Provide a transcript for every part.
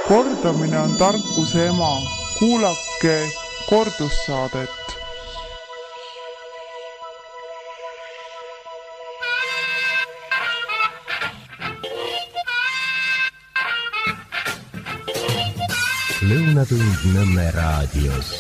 Kordamine on tarkuse ema. Kuulake kordussaadet. Lõunatund Nõmme raadios.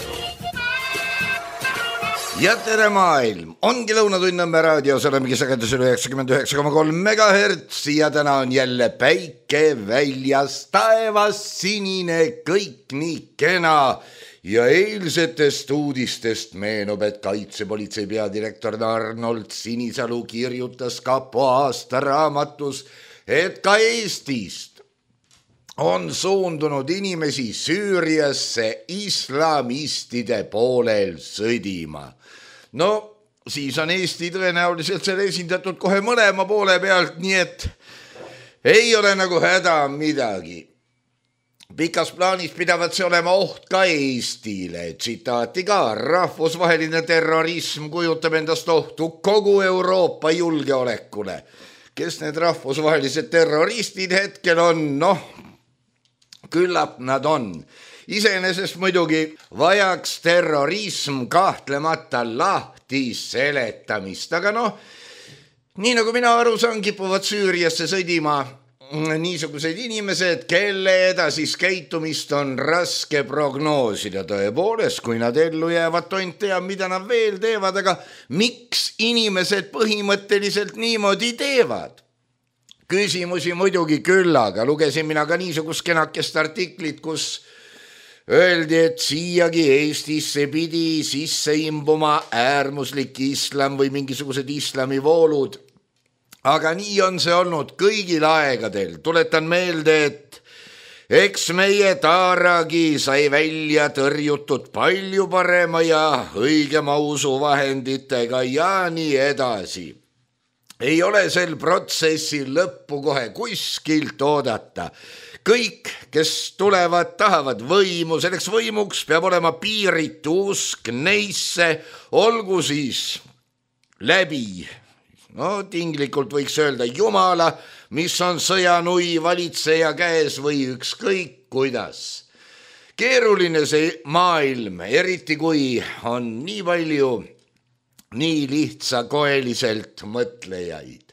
Ja tere maailm, ongi Lõunatund Nõmme raadios, olemegi sagedusel 99,3 MHz ja täna on jälle päike väljas, taevas sinine, kõik nii kena ja eilsetest uudistest meenub, et kaitsepolitsei peadirektor Arnold Sinisalu kirjutas kapo aastaraamatus, et ka Eestist on suundunud inimesi Süüriasse islamistide poolel sõdima. No, siis on Eesti tõenäoliselt seal esindatud kohe mõlema poole pealt, nii et ei ole nagu häda midagi. Pikas plaanis pidavat see olema oht ka Eestile. Tsitaati ka, rahvusvaheline terrorism kujutab endast ohtu kogu Euroopa julgeolekule. Kes need rahvusvahelised terroristid hetkel on? Noh, küllap nad on. Iseenesest muidugi vajaks terrorism kahtlemata lahti seletamist, aga nii nagu mina aru saan, kipuvad Süüriasse sõdima niisugused inimesed, kelle edasist käitumist on raske prognoosida. Tõepoolest, kui nad ellu jäävad, tont teab, mida nad veel teevad, aga miks inimesed põhimõtteliselt niimoodi teevad? Küsimusi muidugi küll, aga lugesin mina ka niisugust kenakest artiklit, kus öeldi, et siiagi Eestisse pidi sisse imbuma äärmuslik islam või mingisugused islamivoolud. Aga nii on see olnud kõigil aegadel. Tuletan meelde, et eks meie Taaragi sai välja tõrjutud palju parema ja õigema usuvahenditega ja nii edasi. Ei ole sel protsessil lõppu kohe kuskilt oodata. Kõik, kes tulevad, tahavad võimu, selleks võimuks peab olema piiritu usk neisse, olgu siis läbi, tinglikult võiks öelda Jumala, mis on sõjanui valitseja käes või ükskõik kuidas. Keeruline see maailm, eriti kui on nii palju nii lihtsakoeliselt mõtlejaid.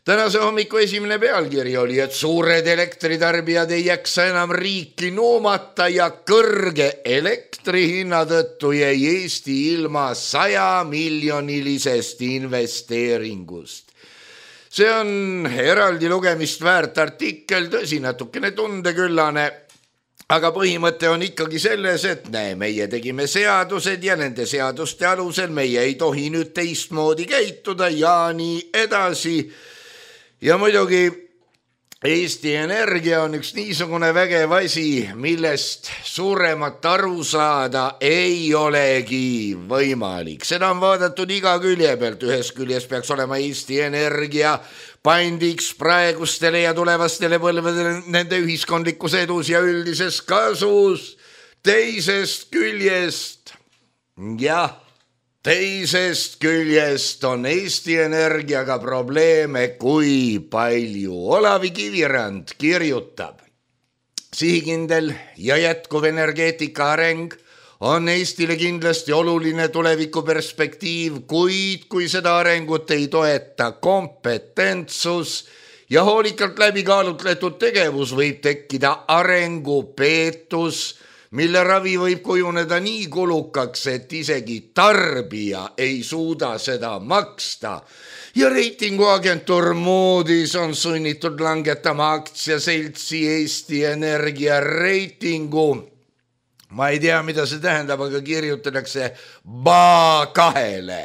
Tänase hommiku esimene pealkiri oli, et suured elektritarbijad ei jaksa enam riiki nuumata ja kõrge elektrihinna tõttu jäi Eesti ilma 100-miljonilisest investeeringust. See on eraldi lugemist väärt artikkel, tõsi natukene tundeküllane, aga põhimõte on ikkagi selles, et meie tegime seadused ja nende seaduste alusel meie ei tohi nüüd teistmoodi käituda ja nii edasi. Ja muidugi Eesti Energia on üks niisugune vägev asi, millest suuremat aru saada ei olegi võimalik. Seda on vaadatud iga külje pealt. Ühes küljes peaks olema Eesti Energia pandiks praegustele ja tulevastele põlvedele nende ühiskondlikus edus ja üldises kasus. Teisest küljest on Eesti Energiaga probleeme kui palju. Olavi Kivirand kirjutab, sihikindel ja jätkuv energeetika areng on Eestile kindlasti oluline tulevikuperspektiiv, kuid kui seda arengut ei toeta kompetentsus ja hoolikalt läbikaalutletud tegevus, võib tekkida arengupeetus, mille ravi võib kujuneda nii kulukaks, et isegi tarbija ei suuda seda maksta. Ja reitinguagentuur Moody's on sunnitud langetama aktsiaseltsi Eesti Energia reitingu. Ma ei tea, mida see tähendab, aga kirjutatakse BA2-le.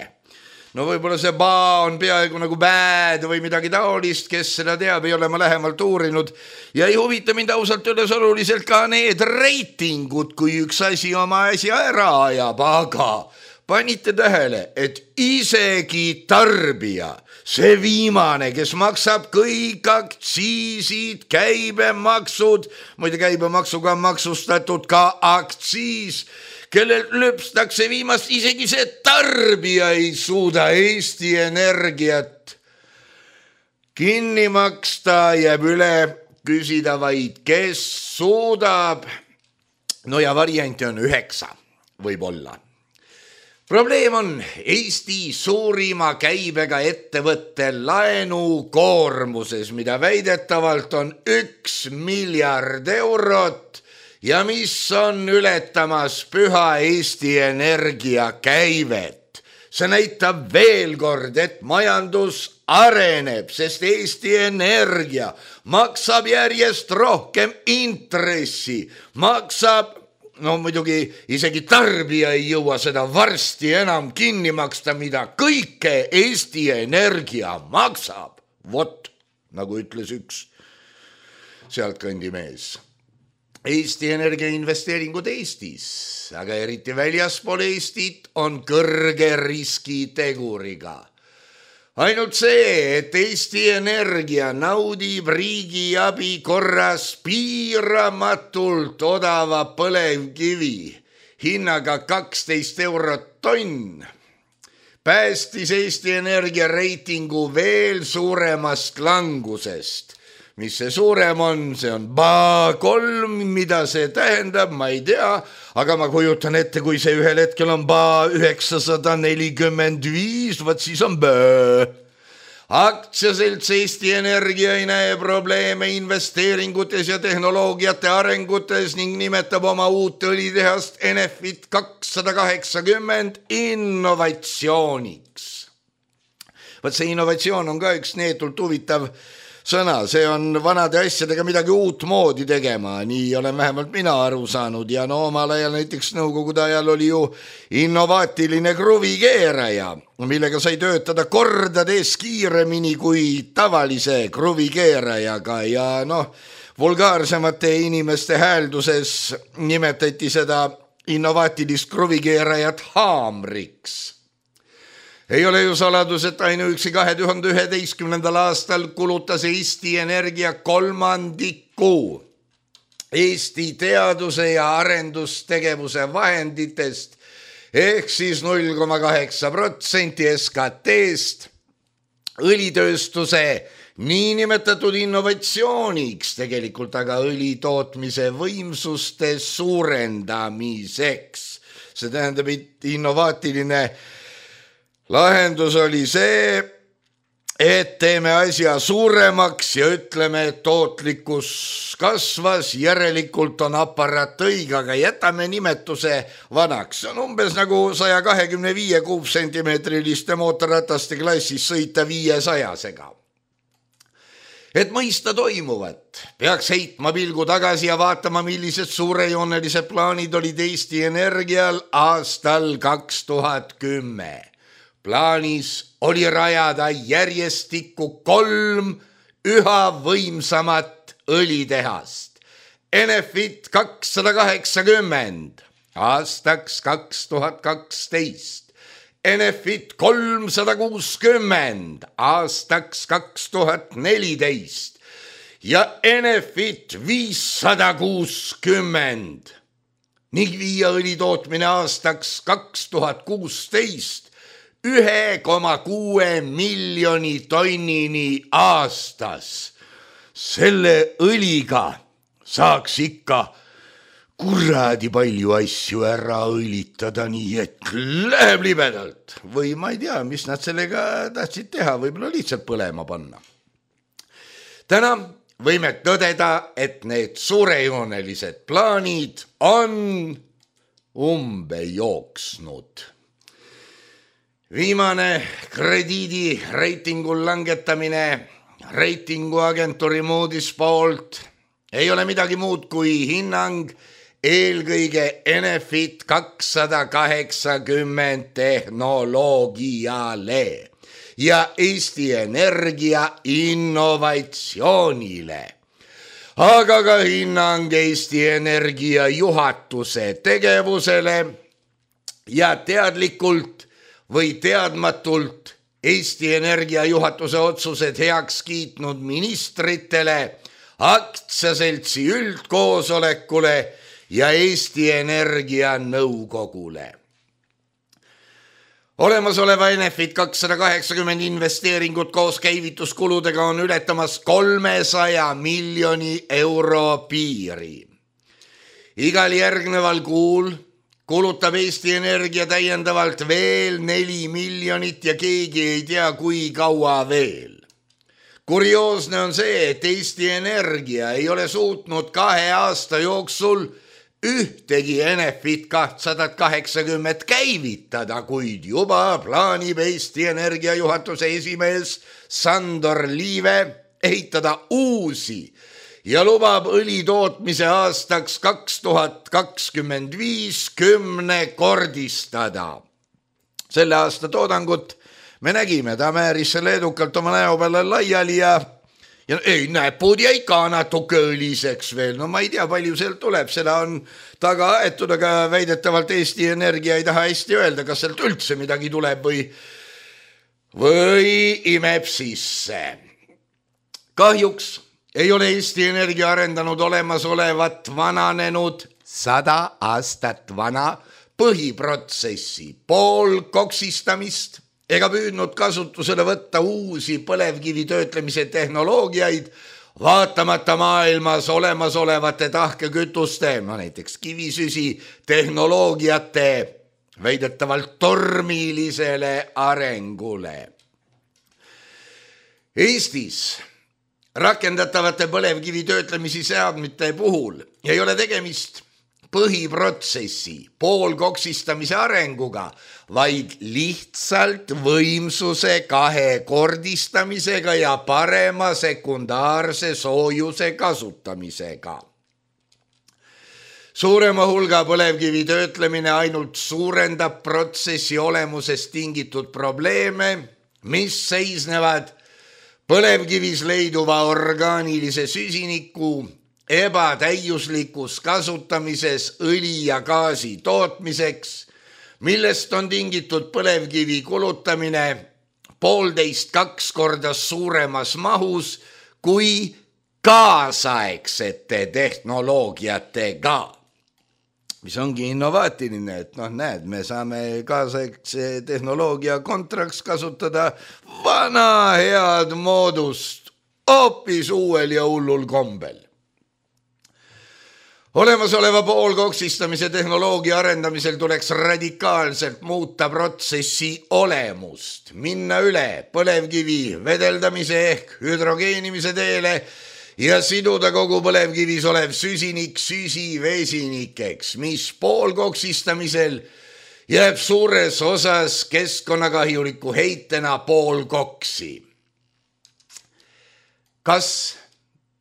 No võib-olla see BA on peaaegu nagu bad või midagi taolist, kes seda teab, ei ole ma lähemalt uurinud. Ja ei huvita mind ausalt öeldes oluliselt ka need reitingud, kui üks asi oma asja ära ajab, aga panite tähele, et isegi tarbija, see viimane, kes maksab kõik aktsiisid, käibemaksud, muide käibemaksuga on maksustatud ka aktsiis, kellel löpstakse viimast, isegi see tarbija ei suuda Eesti Energiat kinni maksta, jääb üle küsida vaid, kes suudab. No ja varianti on 9, võib-olla. Probleem on Eesti suurima käibega ettevõtte laenukoormuses, mida väidetavalt on 1 miljard eurot ja mis on ületamas püha Eesti Energia käivet. See näitab veel kord, et majandus areneb, sest Eesti Energia maksab järjest rohkem intressi, maksab. No muidugi isegi tarbija ei jõua seda varsti enam kinni maksta, mida kõike Eesti Energia maksab. Vot, nagu ütles üks sealtkandi mees. Eesti Energia investeeringud Eestis, aga eriti väljaspool Eestit on kõrge riskiteguriga. Ainult see, et Eesti Energia naudib riigiabi korras piiramatult odava põlevkivi hinnaga 12 eurot tonn, päästis Eesti Energia reitingu veel suuremast langusest. Mis see suurem on, see on BA3, mida see tähendab, ma ei tea, aga ma kujutan ette, kui see ühel hetkel on BA945, võt siis on BÖ. Aktsiaselts Eesti Energia ei näe probleeme investeeringutes ja tehnoloogiate arengutes ning nimetab oma uut õlitehast Enefit 280 innovatsiooniks. Võt see innovatsioon on ka üks neetult huvitav sõna, see on vanade asjadega midagi uut moodi tegema, nii olen vähemalt mina aru saanud ja no omal ajal näiteks nõukogude ajal oli ju innovaatiline kruvikeeraja, millega sai töötada kordades kiiremini kui tavalise kruvikeerajaga ja noh, vulgaarsemate inimeste häälduses nimetati seda innovaatilist kruvikeerajat haamriks. Ei ole ju saladus, et ainuüksi 2011. aastal kulutas Eesti Energia 1/3 Eesti teaduse ja arendustegevuse vahenditest ehk siis 0,8% SKT-st õlitööstuse niinimetatud innovatsiooniks, tegelikult aga õlitootmise võimsuste suurendamiseks. See tähendab, et innovaatiline lahendus oli see, et teeme asja suuremaks ja ütleme, et tootlikkus kasvas, järelikult on aparaat õige, aga jätame nimetuse vanaks. See on umbes nagu 125 kuupsentimeetriliste mootorrataste klassis sõita 500-sega. Et mõista toimuvat, peaks heitma pilgu tagasi ja vaatama, millised suurejoonelised plaanid olid Eesti Energial aastal 2010. Plaanis oli rajada järjestikku 3 üha võimsamat õlitehast. Enefit 280 aastaks 2012, Enefit 360 aastaks 2014 ja Enefit 560 ning viia õlitootmine aastaks 2016 1,6 miljoni tonnini aastas. Selle õliga saaks ikka kuradi palju asju ära õlitada, nii et läheb libedalt. Või ma ei tea, mis nad sellega tahtsid teha, võib-olla lihtsalt põlema panna. Täna võime tõdeda, et need suurejoonelised plaanid on umbe jooksnud. Viimane krediidireitingul langetamine reitinguagentuuri Moody's poolt ei ole midagi muud kui hinnang eelkõige Enefit 280 tehnoloogiale ja Eesti Energia innovatsioonile, aga ka hinnang Eesti Energia juhatuse tegevusele ja teadlikult või teadmatult Eesti Energia juhatuse otsused heaks kiitnud ministritele, aktsiaseltsi üldkoosolekule ja Eesti Energia nõukogule. Olemasoleva Enefit 280 investeeringut koos käivituskuludega on ületamas 300 miljoni euro piiri. Igal järgneval kuul kulutab Eesti Energia täiendavalt veel 4 miljonit ja keegi ei tea, kui kaua veel. Kurioosne on see, et Eesti Energia ei ole suutnud 2 aasta jooksul ühtegi Enefit 280 käivitada, kuid juba plaanib Eesti Energia juhatuse esimees Sandor Liive ehitada uusi ja lubab õlitootmise aastaks 2025 10-kordistada. Selle aasta toodangut me nägime, ta määris selle edukalt oma näo peale laiali ja ei, näpud jäi ka natuke õliseks veel. No ma ei tea, palju sealt tuleb, seda on taga aetud, aga väidetavalt Eesti Energia ei taha hästi öelda, kas sealt üldse midagi tuleb või imeb sisse. Kahjuks ei ole Eesti Energia arendanud olemasolevat vananenud 100 aastat vana põhiprotsessi poolkoksistamist ega püüdnud kasutusele võtta uusi põlevkivi töötlemise tehnoloogiaid, vaatamata maailmas olemasolevate tahkekütuste, näiteks kivisüsi tehnoloogiate väidetavalt tormilisele arengule. Eestis rakendatavate põlevkivi töötlemisi seadmete puhul ei ole tegemist põhiprotsessi poolkoksistamise arenguga, vaid lihtsalt võimsuse 2-kordistamisega ja parema sekundaarse soojuse kasutamisega. Suurema hulga põlevkivi töötlemine ainult suurendab protsessi olemusest tingitud probleeme, mis seisnevad põlevkivis leiduva orgaanilise süsiniku ebatäiuslikus kasutamises õli ja gaasi tootmiseks, millest on tingitud põlevkivi kulutamine 1,5–2 korda suuremas mahus kui kaasaegsete tehnoloogiatega. Mis ongi innovaatiline, et näed, me saame kaasaegse tehnoloogia kontraks kasutada vana head moodust hoopis uuel ja hullul kombel. Olemasoleva poolkoksistamise tehnoloogia arendamisel tuleks radikaalselt muuta protsessi olemust, minna üle põlevkivi vedeldamise ehk hüdrogeenimise teele ja siduda kogu põlevkivis olev süsinik süsivesinikeks, mis poolkoksistamisel jääb suures osas keskkonnakahjuliku heitena poolkoksi. Kas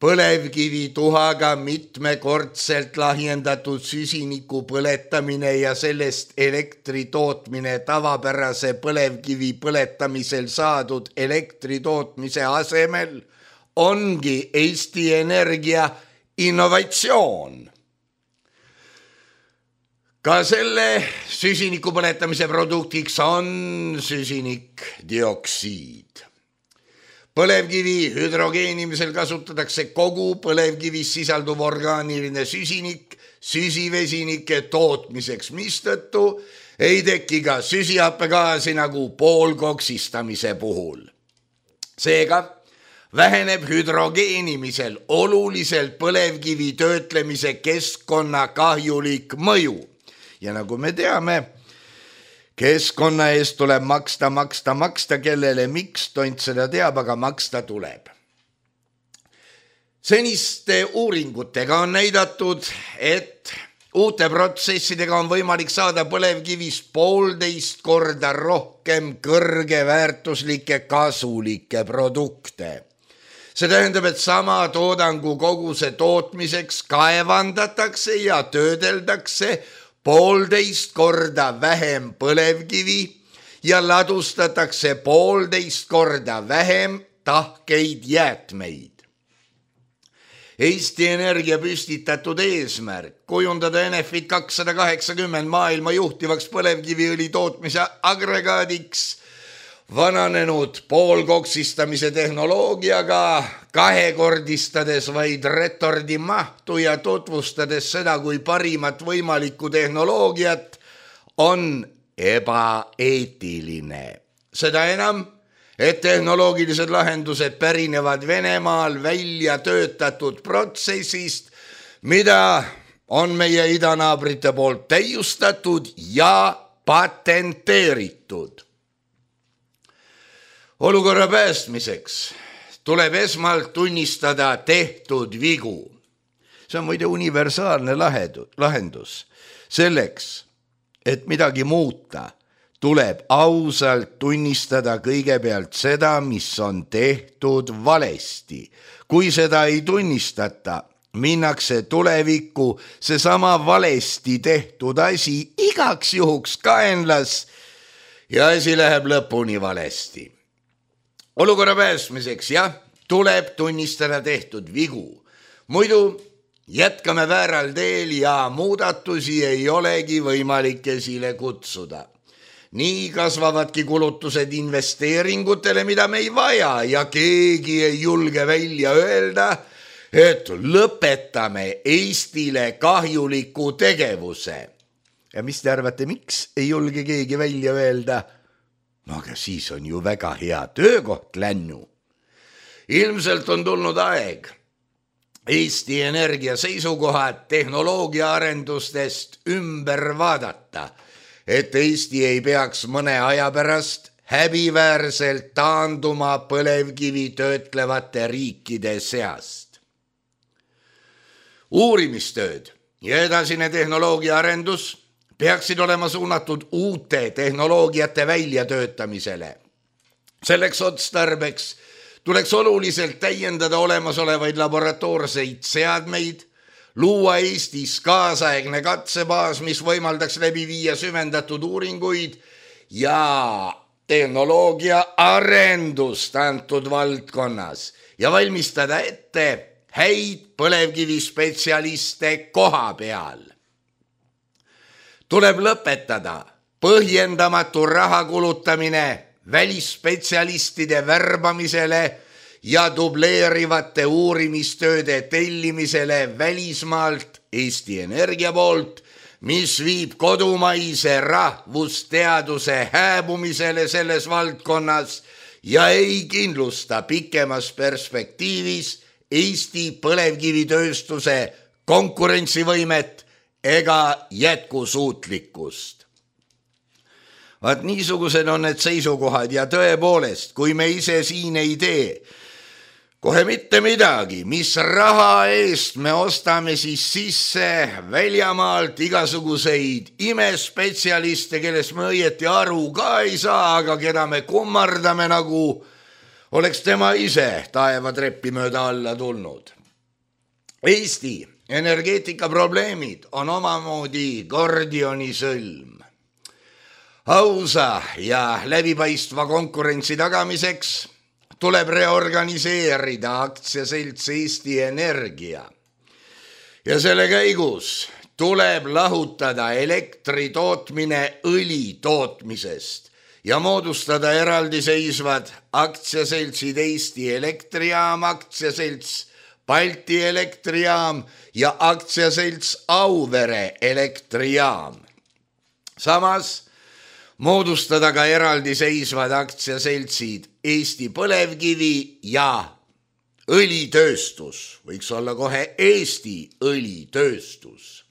põlevkivi tuhaga mitmekordselt lahjendatud süsiniku põletamine ja sellest elektri tootmine tavapärase põlevkivi põletamisel saadud elektri tootmise asemel ongi Eesti Energia innovatsioon. Ka selle süsiniku põletamise produktiks on süsinikdioksiid. Põlevkivi hüdrogeenimisel kasutatakse kogu põlevkivis sisalduv orgaaniline süsinik süsivesinike tootmiseks, mistõttu ei teki ka süsihappegaasi nagu poolkoksistamise puhul. Seega väheneb hüdrogeenimisel oluliselt põlevkivi töötlemise keskkonnakahjulik mõju. Ja nagu me teame, keskkonna eest tuleb maksta, kellele miks, tont seda teab, aga maksta tuleb. Seniste uuringutega on näidatud, et uute protsessidega on võimalik saada põlevkivist 1,5 korda rohkem kõrgeväärtuslikke kasulikke produkte. See tähendab, et sama toodangu koguse tootmiseks kaevandatakse ja töödeldakse 1,5 korda vähem põlevkivi ja ladustatakse 1,5 korda vähem tahkeid jäätmeid. Eesti Energia püstitatud eesmärk kujundada Enefit 280 maailma juhtivaks põlevkiviõli tootmise agregaadiks vananenud poolkoksistamise tehnoloogiaga, 2-kordistades vaid retordi mahtu ja tutvustades seda kui parimat võimalikku tehnoloogiat, on ebaeetiline. Seda enam, et tehnoloogilised lahendused pärinevad Venemaal välja töötatud protsessist, mida on meie idanaabrite poolt täiustatud ja patenteeritud. Olukorra päästmiseks tuleb esmalt tunnistada tehtud vigu. See on muide universaalne lahendus. Selleks, et midagi muuta, tuleb ausalt tunnistada kõigepealt seda, mis on tehtud valesti. Kui seda ei tunnistata, minnakse tulevikku seesama valesti tehtud asi igaks juhuks kaenlas ja asi läheb lõpuni valesti. Olukorra päästmiseks, jah, tuleb tunnistada tehtud vigu. Muidu jätkame vääral teel ja muudatusi ei olegi võimalik esile kutsuda. Nii kasvavadki kulutused investeeringutele, mida me ei vaja ja keegi ei julge välja öelda, et lõpetame Eestile kahjuliku tegevuse. Ja mis te arvate, miks ei julge keegi välja öelda? No aga siis on ju väga hea töökoht lännu. Ilmselt on tulnud aeg Eesti Energia seisukohad tehnoloogia arendustest ümber vaadata, et Eesti ei peaks mõne aja pärast häbiväärselt taanduma põlevkivi töötlevate riikide seast. Uurimistööd ja edasine tehnoloogia arendus peaksid olema suunatud uute tehnoloogiate väljatöötamisele. Selleks otstarbeks tuleks oluliselt täiendada olemasolevaid laboratoorseid seadmeid, luua Eestis kaasaegne katsebaas, mis võimaldaks läbi viia süvendatud uuringuid ja tehnoloogia arendust antud valdkonnas ja valmistada ette häid põlevkivispetsialiste koha peal. Tuleb lõpetada põhjendamatu raha kulutamine välisspetsialistide värbamisele ja dubleerivate uurimistööde tellimisele välismaalt Eesti Energia poolt, mis viib kodumaise rahvusteaduse hääbumisele selles valdkonnas ja ei kindlusta pikemas perspektiivis Eesti põlevkivitööstuse konkurentsivõimet ega jätkusuutlikkust. Vaat niisugused on need seisukohad ja tõepoolest, kui me ise siin ei tee kohe mitte midagi, mis raha eest me ostame siis sisse väljamaalt igasuguseid imespetsialiste, kellest me õieti aru ka ei saa, aga keda me kummardame nagu oleks tema ise taevatreppi mööda alla tulnud. Eesti energeetikaprobleemid on omamoodi Gordioni sõlm. Ausa ja läbipaistva konkurentsi tagamiseks tuleb reorganiseerida aktsiaselts Eesti Energia ja selle käigus tuleb lahutada elektri tootmine õli tootmisest ja moodustada eraldiseisvad aktsiaseltsid Eesti Elektrijaam, aktsiaselts Balti Elektrijaam ja aktsiaselts Auvere Elektrijaam. Samas moodustada ka eraldiseisvad aktsiaseltsid Eesti põlevkivi ja õlitööstus, võiks olla kohe Eesti õlitööstus.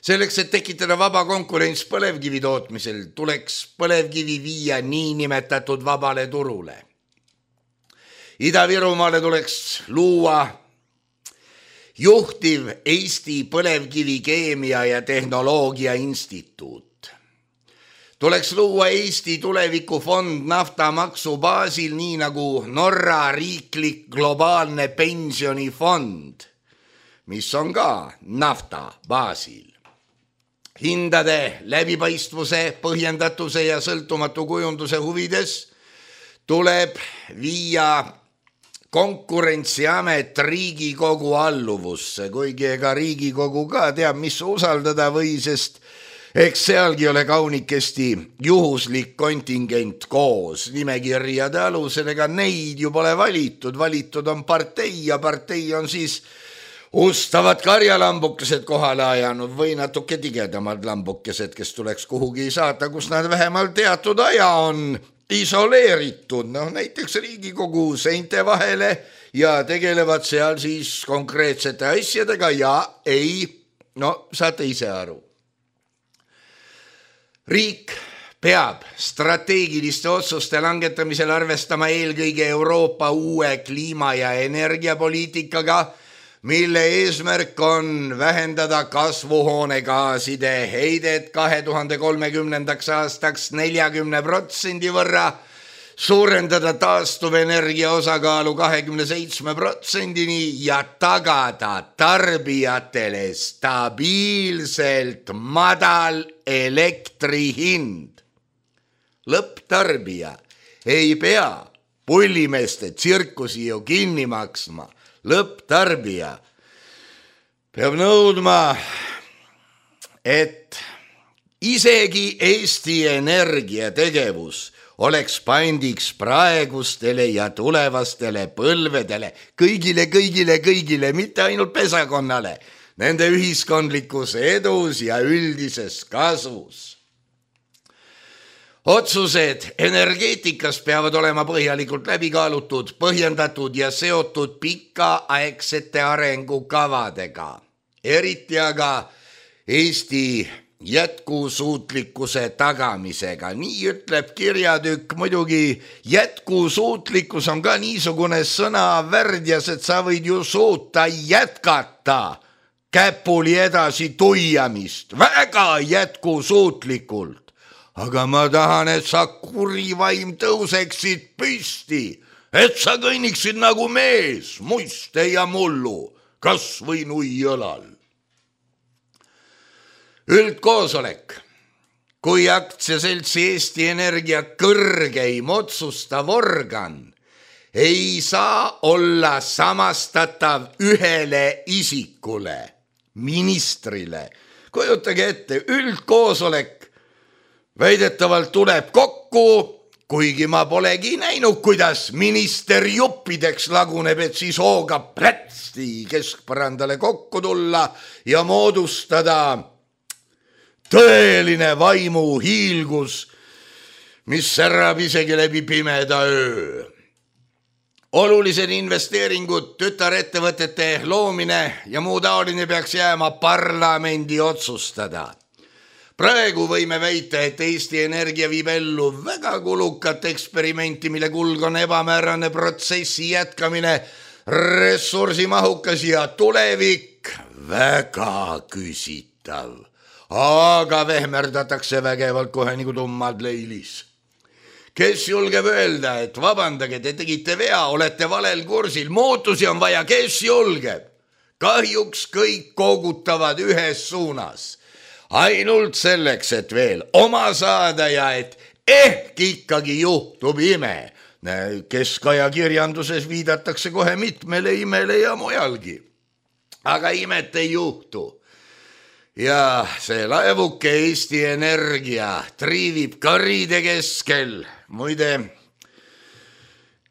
Selleks, et tekitada vaba konkurents põlevkivi tootmisel, tuleks põlevkivi viia niinimetatud vabale turule. Ida-Virumaale tuleks luua juhtiv Eesti põlevkivikeemia ja tehnoloogia instituut. Tuleks luua Eesti tulevikufond naftamaksu baasil, nii nagu Norra riiklik globaalne pensionifond, mis on ka nafta baasil. Hindade läbipaistvuse, põhjendatuse ja sõltumatu kujunduse huvides tuleb viia Konkurentsiamet Riigikogu alluvusse, kuigi ega Riigikogu ka teab, mis usaldada või, sest eks sealgi ole kaunikesti juhuslik kontingent koos nimekirjade alusel, ega neid ju pole valitud on partei ja partei on siis Ustavad karjalambukesed kohale ajanud või natuke tigedamad lambukesed, kes tuleks kuhugi saata, kus nad vähemalt teatud aja on isoleeritud, näiteks Riigikogu seinte vahele ja tegelevad seal siis konkreetsete asjadega ja saate ise aru. Riik peab strateegiliste otsuste langetamisel arvestama eelkõige Euroopa uue kliima- ja energiapoliitikaga, mille eesmärk on vähendada kasvuhoonegaaside heidet 2030. aastaks 40% võrra, suurendada taastuvenergia osakaalu 27%-ni ja tagada tarbijatele stabiilselt madal elektrihind. Lõpptarbija ei pea pullimeeste tsirkusi ju kinni maksma. Lõpptarbija peab nõudma, et isegi Eesti Energia tegevus oleks pandiks praegustele ja tulevastele põlvedele, kõigile, mitte ainult pesakonnale, nende ühiskondlikus edus ja üldises kasus. Otsused energeetikas peavad olema põhjalikult läbikaalutud, põhjendatud ja seotud pikaaegsete arengukavadega. Eriti aga Eesti jätkusuutlikkuse tagamisega. Nii ütleb kirjatükk, muidugi jätkusuutlikkus on ka niisugune sõnavärdjas, et sa võid ju suuta jätkata käpuli edasi tuiamist väga jätkusuutlikult. Aga ma tahan, et sa kurivaim tõuseksid püsti, et sa kõnniksid nagu mees, muiste ja mullu, kas või nuiõlal. Üldkoosolek, kui aktsiaseltsi Eesti Energia kõrgeim otsustav organ, ei saa olla samastatav ühele isikule, ministrile. Kujutage ette, üldkoosolek väidetavalt tuleb kokku, kuigi ma polegi näinud, kuidas minister juppideks laguneb, et siis hoogab plätsti keskpõrandale kokku tulla ja moodustada tõeline vaimu hiilgus, mis särab isegi läbi pimeda öö. Olulised investeeringud, tütarettevõtete loomine ja muu taoline peaks jääma parlamendi otsustada. Praegu võime väita, et Eesti Energia viib ellu väga kulukat eksperimenti, mille kulg on ebamäärane protsessi jätkamine, ressursimahukas ja tulevik väga küsitav. Aga vehmerdatakse vägevalt kohe nagu tummad leilis. Kes julgeb öelda, et vabandage, te tegite vea, olete valel kursil, muutusi on vaja, kes julgeb? Kahjuks kõik koogutavad ühes suunas. Ainult selleks, et veel oma saada ja et ehk ikkagi juhtub ime. Keskajakirjanduses viidatakse kohe mitmele imele ja mujalgi. Aga imet ei juhtu. Ja see laevuke Eesti Energia triivib karide keskel. Muide,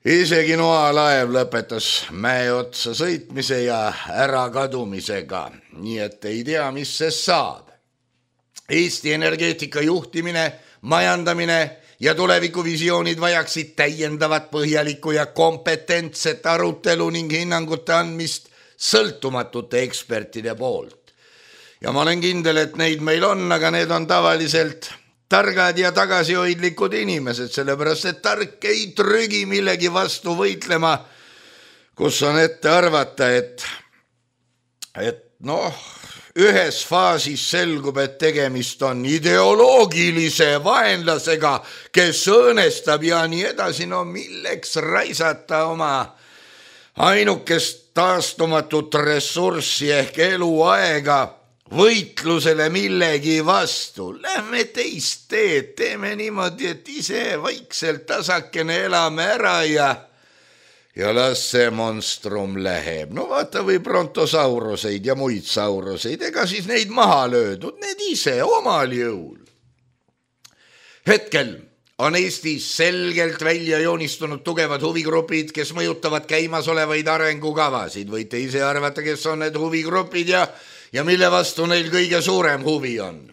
isegi noalaev lõpetas mäe otsa sõitmise ja ärakadumisega. Nii et ei tea, mis see saab. Eesti energeetika juhtimine, majandamine ja tulevikuvisioonid vajaksid täiendavat põhjalikku ja kompetentset arutelu ning hinnangute andmist sõltumatute ekspertide poolt. Ja ma olen kindel, et neid meil on, aga need on tavaliselt targad ja tagasihoidlikud inimesed, sellepärast et tark ei trügi millegi vastu võitlema, kus on ette arvata, et ühes faasis selgub, et tegemist on ideoloogilise vaenlasega, kes õõnestab ja nii edasi. Milleks raisata oma ainukest taastumatut ressurssi ehk eluaega võitlusele millegi vastu? Lähme teist teed, teeme niimoodi, et ise vaikselt tasakene elame ära ja las see monstrum läheb. Vaata või brontosauruseid ja muid sauruseid, ega siis neid maha löödud, need ise omal jõul. Hetkel on Eestis selgelt välja joonistunud tugevad huvigrupid, kes mõjutavad käimasolevaid arengukavasid. Võite ise arvata, kes on need huvigrupid ja mille vastu neil kõige suurem huvi on.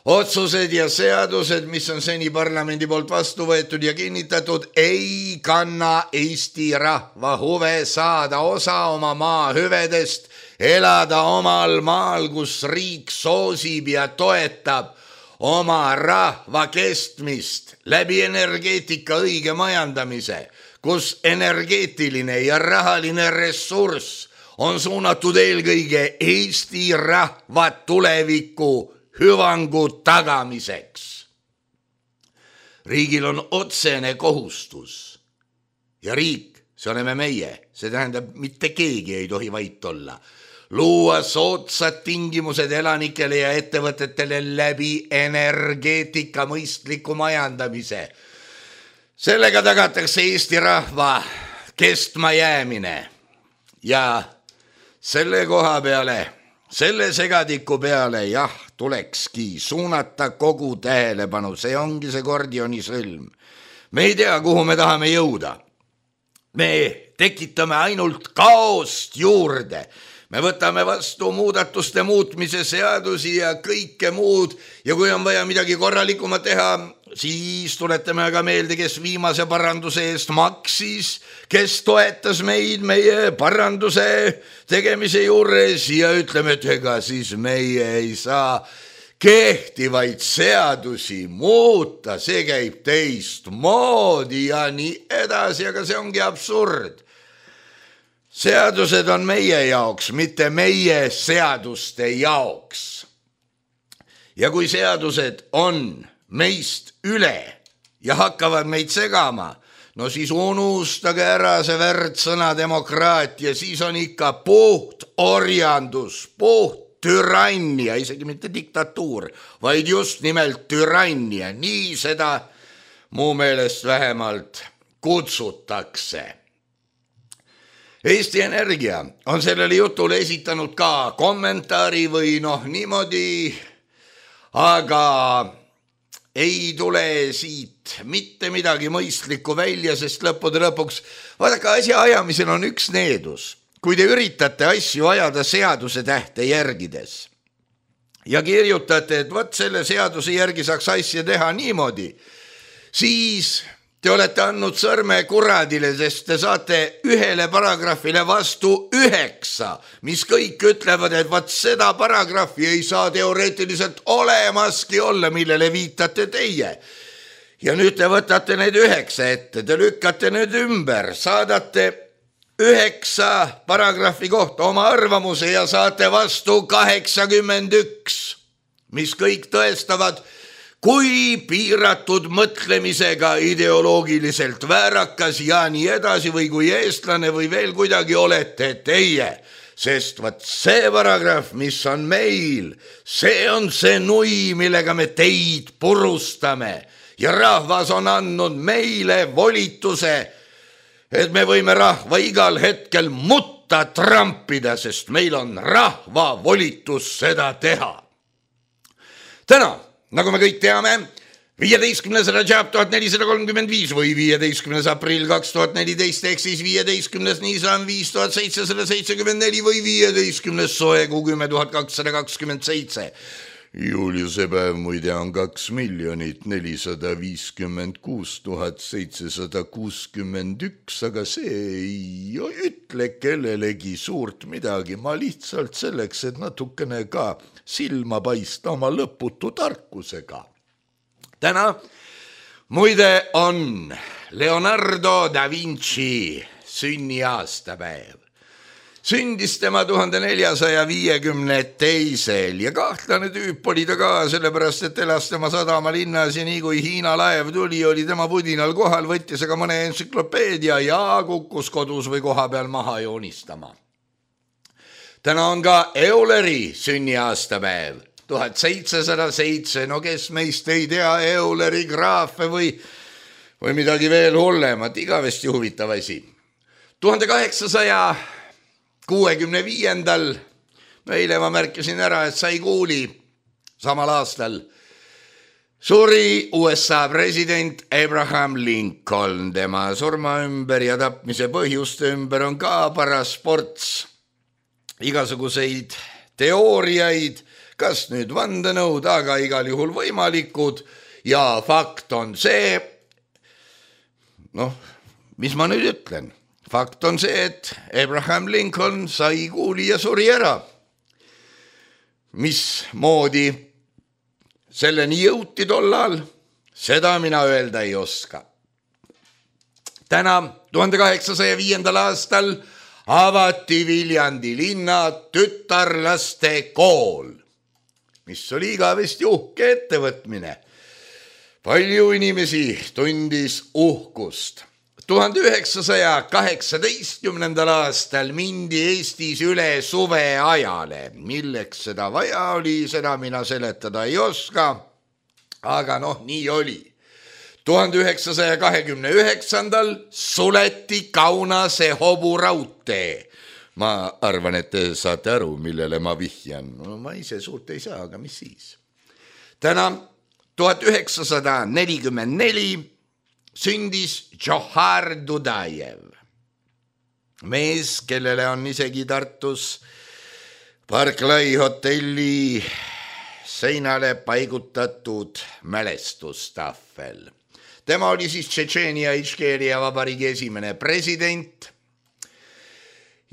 Otsused ja seadused, mis on seni parlamendi poolt vastu võetud ja kinnitatud, ei kanna Eesti rahva huve saada osa oma maa hüvedest, elada omal maal, kus riik soosib ja toetab oma rahva kestmist läbi energeetika õige majandamise, kus energeetiline ja rahaline ressurss on suunatud eelkõige Eesti rahva tuleviku hüvangu tagamiseks. Riigil on otsene kohustus ja riik, see oleme meie, see tähendab, mitte keegi ei tohi vait olla, luua soodsad tingimused elanikele ja ettevõtetele läbi energeetika mõistliku majandamise. Sellega tagatakse Eesti rahva kestma jäämine ja selle koha peale, selle segadiku peale, tulekski suunata kogu tähelepanu, see ongi see Gordioni sõlm. Me ei tea, kuhu me tahame jõuda. Me tekitame ainult kaost juurde. Me võtame vastu muudatuste muutmise seadusi ja kõike muud ja kui on vaja midagi korralikumat teha, siis tuletame aga meelde, kes viimase paranduse eest maksis, kes toetas meid meie paranduse tegemise juures ja ütleme, et ega siis meie ei saa kehtivaid seadusi muuta, see käib teistmoodi ja nii edasi, aga see ongi absurd. Seadused on meie jaoks, mitte meie seaduste jaoks. Ja kui seadused on meist üle ja hakkavad meid segama, no siis unustage ära see värdsõna demokraatia, siis on ikka puht orjandus, puht türannia, isegi mitte diktatuur, vaid just nimelt türannia, nii seda mu meelest vähemalt kutsutakse. Eesti Energia on sellele jutule esitanud ka kommentaari või niimoodi, aga ei tule siit mitte midagi mõistlikku välja, sest lõppude lõpuks, vaadake, asja ajamisel on üks needus. Kui te üritate asju ajada seaduse tähte järgides ja kirjutate, et võt selle seaduse järgi saaks asja teha niimoodi, siis te olete andnud sõrme kuradile, sest te saate ühele paragrahvile vastu 9, mis kõik ütlevad, et vaat seda paragrahvi ei saa teoreetiliselt olemaski olla, millele viitate teie. Ja nüüd te võtate need 9 ette, te lükkate nüüd ümber, saadate 9 paragrahvi kohta oma arvamuse ja saate vastu 81, mis kõik tõestavad, kui piiratud mõtlemisega ideoloogiliselt väärakas ja nii edasi või kui eestlane või veel kuidagi olete teie. Sest vaat see paragrahv, mis on meil, see on see nui, millega me teid purustame ja rahvas on andnud meile volituse, et me võime rahva igal hetkel mutta trampida, sest meil on rahva volitus seda teha. Täna, nagu me kõik teame, 15. Rajab 1435 või 15. aprill 2014 ehk siis 15. Nisan 5774 või 15. Soekuu 10227. Juliuse päev muide on 2 456 761, aga see ei ütle kellelegi suurt midagi. Ma lihtsalt selleks, et natukene ka silma paista oma lõputu tarkusega. Täna muide on Leonardo da Vinci sünniaastapäev. Sündis tema 1452 ja kahtlane tüüp oli ta ka, sellepärast et elas tema sadama linnas ja nii kui Hiina laev tuli, oli tema pudinal kohal, võttis aga mõne entsüklopeedia ja kukkus kodus või koha peal maha joonistama. Täna on ka Euleri sünniaastapäev, 1707, no kes meist ei tea Euleri graafe või midagi veel hullemat, igavesti huvitav asi. 1865. Eile ma märkisin ära, et sai kuuli samal aastal. Suri USA president Abraham Lincoln, tema surma ümber ja tapmise põhjuste ümber on ka paras ports igasuguseid teooriaid, kas nüüd vandenõud, aga igal juhul võimalikud ja fakt on see, mis ma nüüd ütlen, fakt on see, et Abraham Lincoln sai kuuli ja suri ära. Mismoodi selleni jõuti tollal, seda mina öelda ei oska. Täna 1805. aastal avati Viljandi linna tütarlaste kool, mis oli igavesti uhke ettevõtmine. Palju inimesi tundis uhkust. 1918. aastal mindi Eestis üle suveajale. Milleks seda vaja oli, seda mina seletada ei oska, aga nii oli. 1929. suleti Kaunase hoburaudtee. Ma arvan, et te saate aru, millele ma vihjan. Ma ise suurt ei saa, aga mis siis. Täna 1944 sündis Džohar Dudajev, mees, kellele on isegi Tartus Barclay hotelli seinale paigutatud mälestustahvel. Tema oli siis Tšetšeenia Iškeeria vabariigi esimene president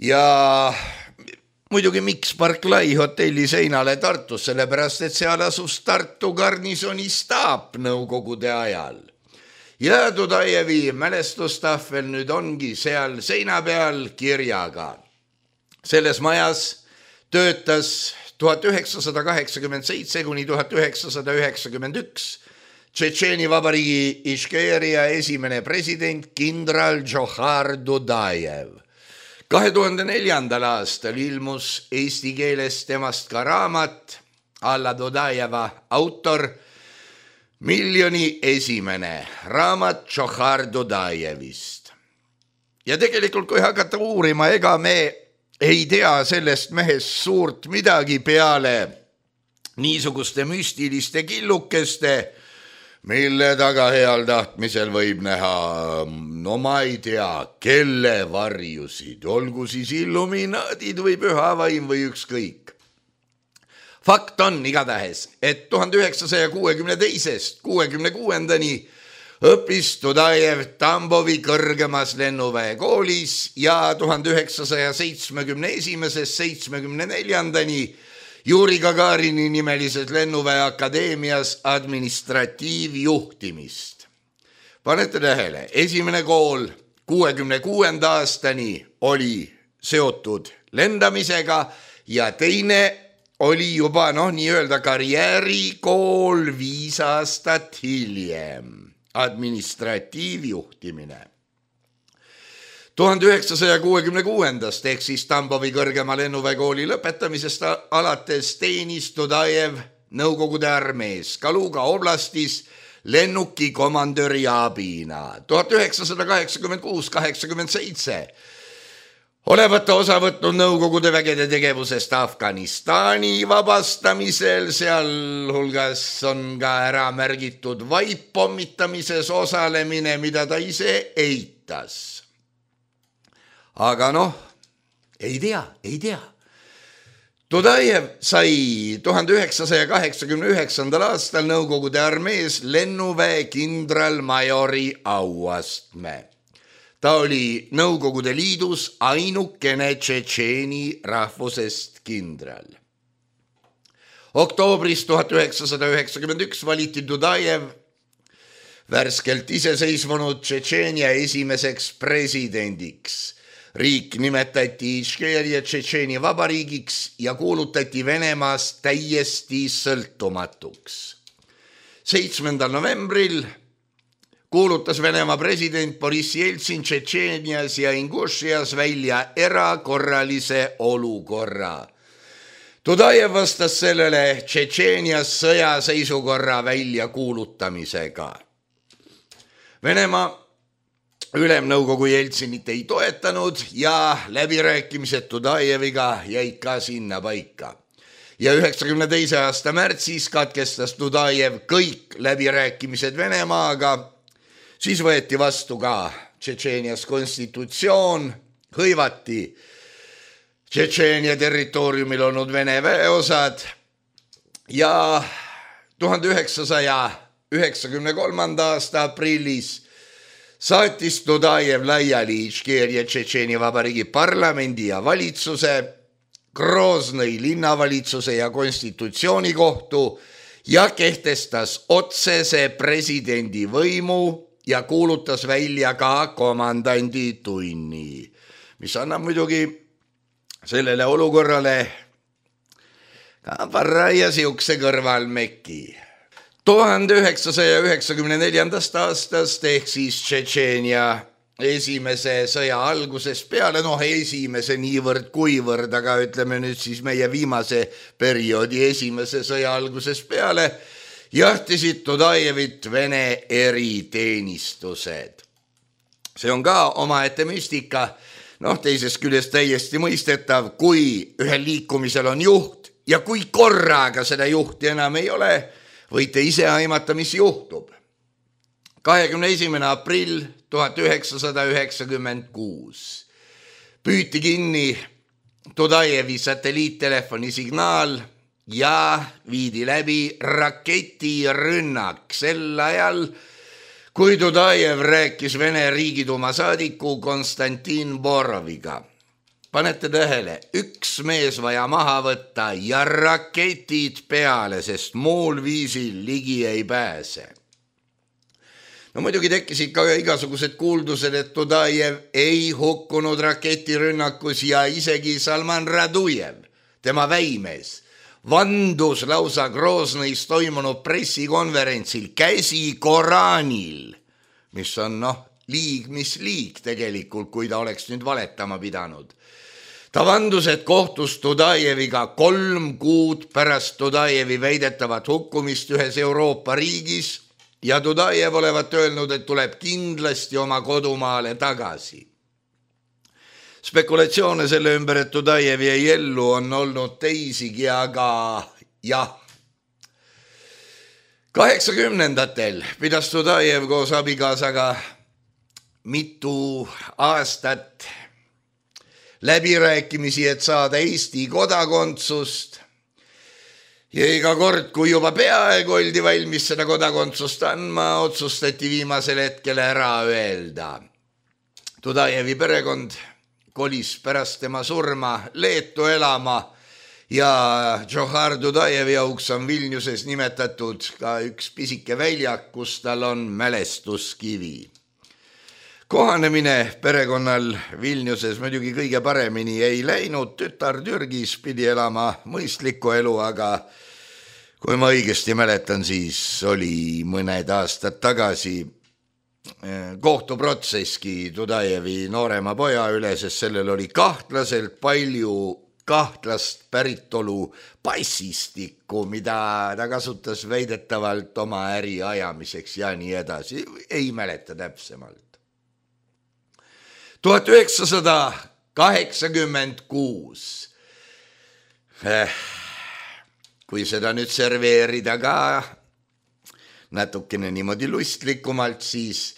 ja muidugi miks Barclay hotelli seinale Tartus, sellepärast et seal asus Tartu garnisoni staap nõukogude ajal. Ja Dudajevi mälestustahvel nüüd ongi seal seina peal kirjaga. Selles majas töötas 1987 kuni 1991 Tšetšeeni vabariigi Iškeeria esimene president kindral Džohar Dudajev. 2004. aastal ilmus eesti keeles temast ka raamat Alla Dudajeva autor Miljoni esimene raamat Džohar Dudajevist. Ja tegelikult kui hakata uurima, ega me ei tea sellest mehest suurt midagi peale niisuguste müstiliste killukeste, mille taga heal tahtmisel võib näha, ma ei tea, kelle varjusid, olgu siis illuminaadid või püha vaim või ükskõik. Fakt on igatahes, et 1962. 66. õppis Dudajev Tambovi kõrgemas lennuväe koolis ja 1971. 74. Juri Gagarini nimelises lennuväe akadeemias administratiivjuhtimist. Panete tähele, esimene kool 66. aastani oli seotud lendamisega ja teine oli juba nii-öelda karjäärikool 5 aastat hiljem, administratiivjuhtimine. 1966. ehk siis Tambovi kõrgema lennuväekooli lõpetamisest alates teenis Dudajev Nõukogude armees Kaluga oblastis lennuki komandöri abina. 1986-87 olevat osa võtnud Nõukogude vägede tegevusest Afganistani vabastamisel, sealhulgas on ka ära märgitud vaippommitamises osalemine, mida ta ise eitas. Aga ei tea. Dudajev sai 1989. aastal Nõukogude armees lennuväe kindralmajori auastme. Ta oli Nõukogude Liidus ainukene tšetšeeni rahvusest kindral. Oktoobris 1991 valiti Dudajev värskelt iseseisvunud Tšetšeenia esimeseks presidendiks. Riik nimetati Iškeeria Tšetšeeni vabariigiks ja kuulutati Venemaast täiesti sõltumatuks. 7. novembril kuulutas Venemaa president Boris Jeltsin Tšetšeenias ja Ingušias välja erakorralise olukorra. Dudajev vastas sellele Tšetšeenias sõjaseisukorra väljakuulutamisega. Venemaa ülemnõukogu Jeltsinit ei toetanud ja läbirääkimised Dudajeviga jäid ka sinna paika. ja 92. aasta märtsis katkestas Dudajev kõik läbirääkimised Venemaaga. Siis võeti vastu ka Tšetšeenias konstitutsioon, hõivati Tšetšeenia territooriumil olnud Vene väeosad ja 1993. aasta aprillis saatis Dudajev laiali Ičkeeria Tšetšeenia Vabariigi parlamendi ja valitsuse, Groznõi linnavalitsuse ja konstitutsioonikohtu ja kehtestas otsese presidendi võimu ja kuulutas välja ka komandandi tunni, mis annab muidugi sellele olukorrale ka parraia siukse kõrvalmeki. 1994. aastast ehk siis Tšetšeenia esimese sõja algusest peale, esimese niivõrd kuivõrd, aga ütleme nüüd siis meie viimase perioodi esimese sõja algusest peale, jahtisid Dudajevit Vene eriteenistused. See on ka omaette müstika, teisest küljest täiesti mõistetav, kui ühel liikumisel on juht ja kui korraga seda juhti enam ei ole, võite ise aimata, mis juhtub. 21. aprill 1996 püüti kinni Dudajevi satelliittelefoni signaal ja viidi läbi raketirünnak sel ajal, kui Dudajev rääkis Vene Riigiduuma saadiku Konstantin Boroviga. Panete tähele, üks mees vaja maha võtta ja raketid peale, sest muul viisil ligi ei pääse. Muidugi tekkisid ka igasugused kuuldused, et Dudajev ei hukkunud raketirünnakus ja isegi Salman Radujev, tema väimees, vandus lausa Groznõis toimunud pressikonverentsil käsi Koraanil, mis on liig, mis liig tegelikult, kui ta oleks nüüd valetama pidanud. Ta vandus, et kohtus Dudajeviga 3 kuud pärast Dudajevi väidetavat hukkumist ühes Euroopa riigis ja Dudajev olevat öelnud, et tuleb kindlasti oma kodumaale tagasi. Spekulatsioone selle ümber, et Dudajev jäi ellu, on olnud teisigi, aga jah. 80-ndatel pidas Dudajev koos abikaasaga mitu aastat läbirääkimisi, et saada Eesti kodakondsust. Ja iga kord, kui juba peaaegu oldi valmis seda kodakondsust andma, otsustati viimasel hetkel ära öelda. Dudajevi perekond kolis pärast tema surma Leetu elama ja Džohar Dudajevi auks on Vilniuses nimetatud ka üks pisike väljak, kus tal on mälestuskivi. Kohanemine perekonnal Vilniuses muidugi kõige paremini ei läinud, tütar Türgis pidi elama mõistlikku elu, aga kui ma õigesti mäletan, siis oli mõned aastad tagasi kohtuprotsesski Dudajevi noorema poja üle, sest sellel oli kahtlaselt palju kahtlast päritolu passistikku, mida ta kasutas väidetavalt oma äri ajamiseks ja nii edasi, ei mäleta täpsemalt. 1986, kui seda nüüd serveerida ka natukene niimoodi lustlikumalt, siis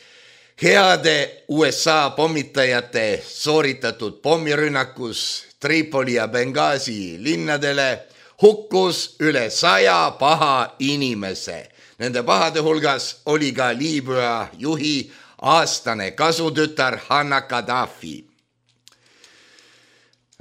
heade USA pommitajate sooritatud pommirünnakus Tripoli ja Benghazi linnadele hukkus üle 100 paha inimese. Nende pahade hulgas oli ka Liibüa juhi aastane kasutütar Hanna Gaddafi.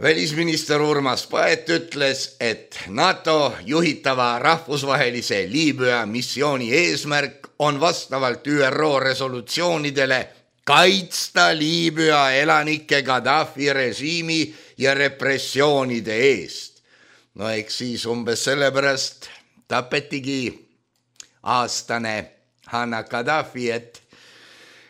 Välisminister Urmas Paet ütles, et NATO juhitava rahvusvahelise Liibüa missiooni eesmärk on vastavalt ÜRO resolutsioonidele kaitsta Liibüa elanike Gaddafi režiimi ja repressioonide eest. Eks siis umbes sellepärast tapetigi aastane Hanna Gaddafi,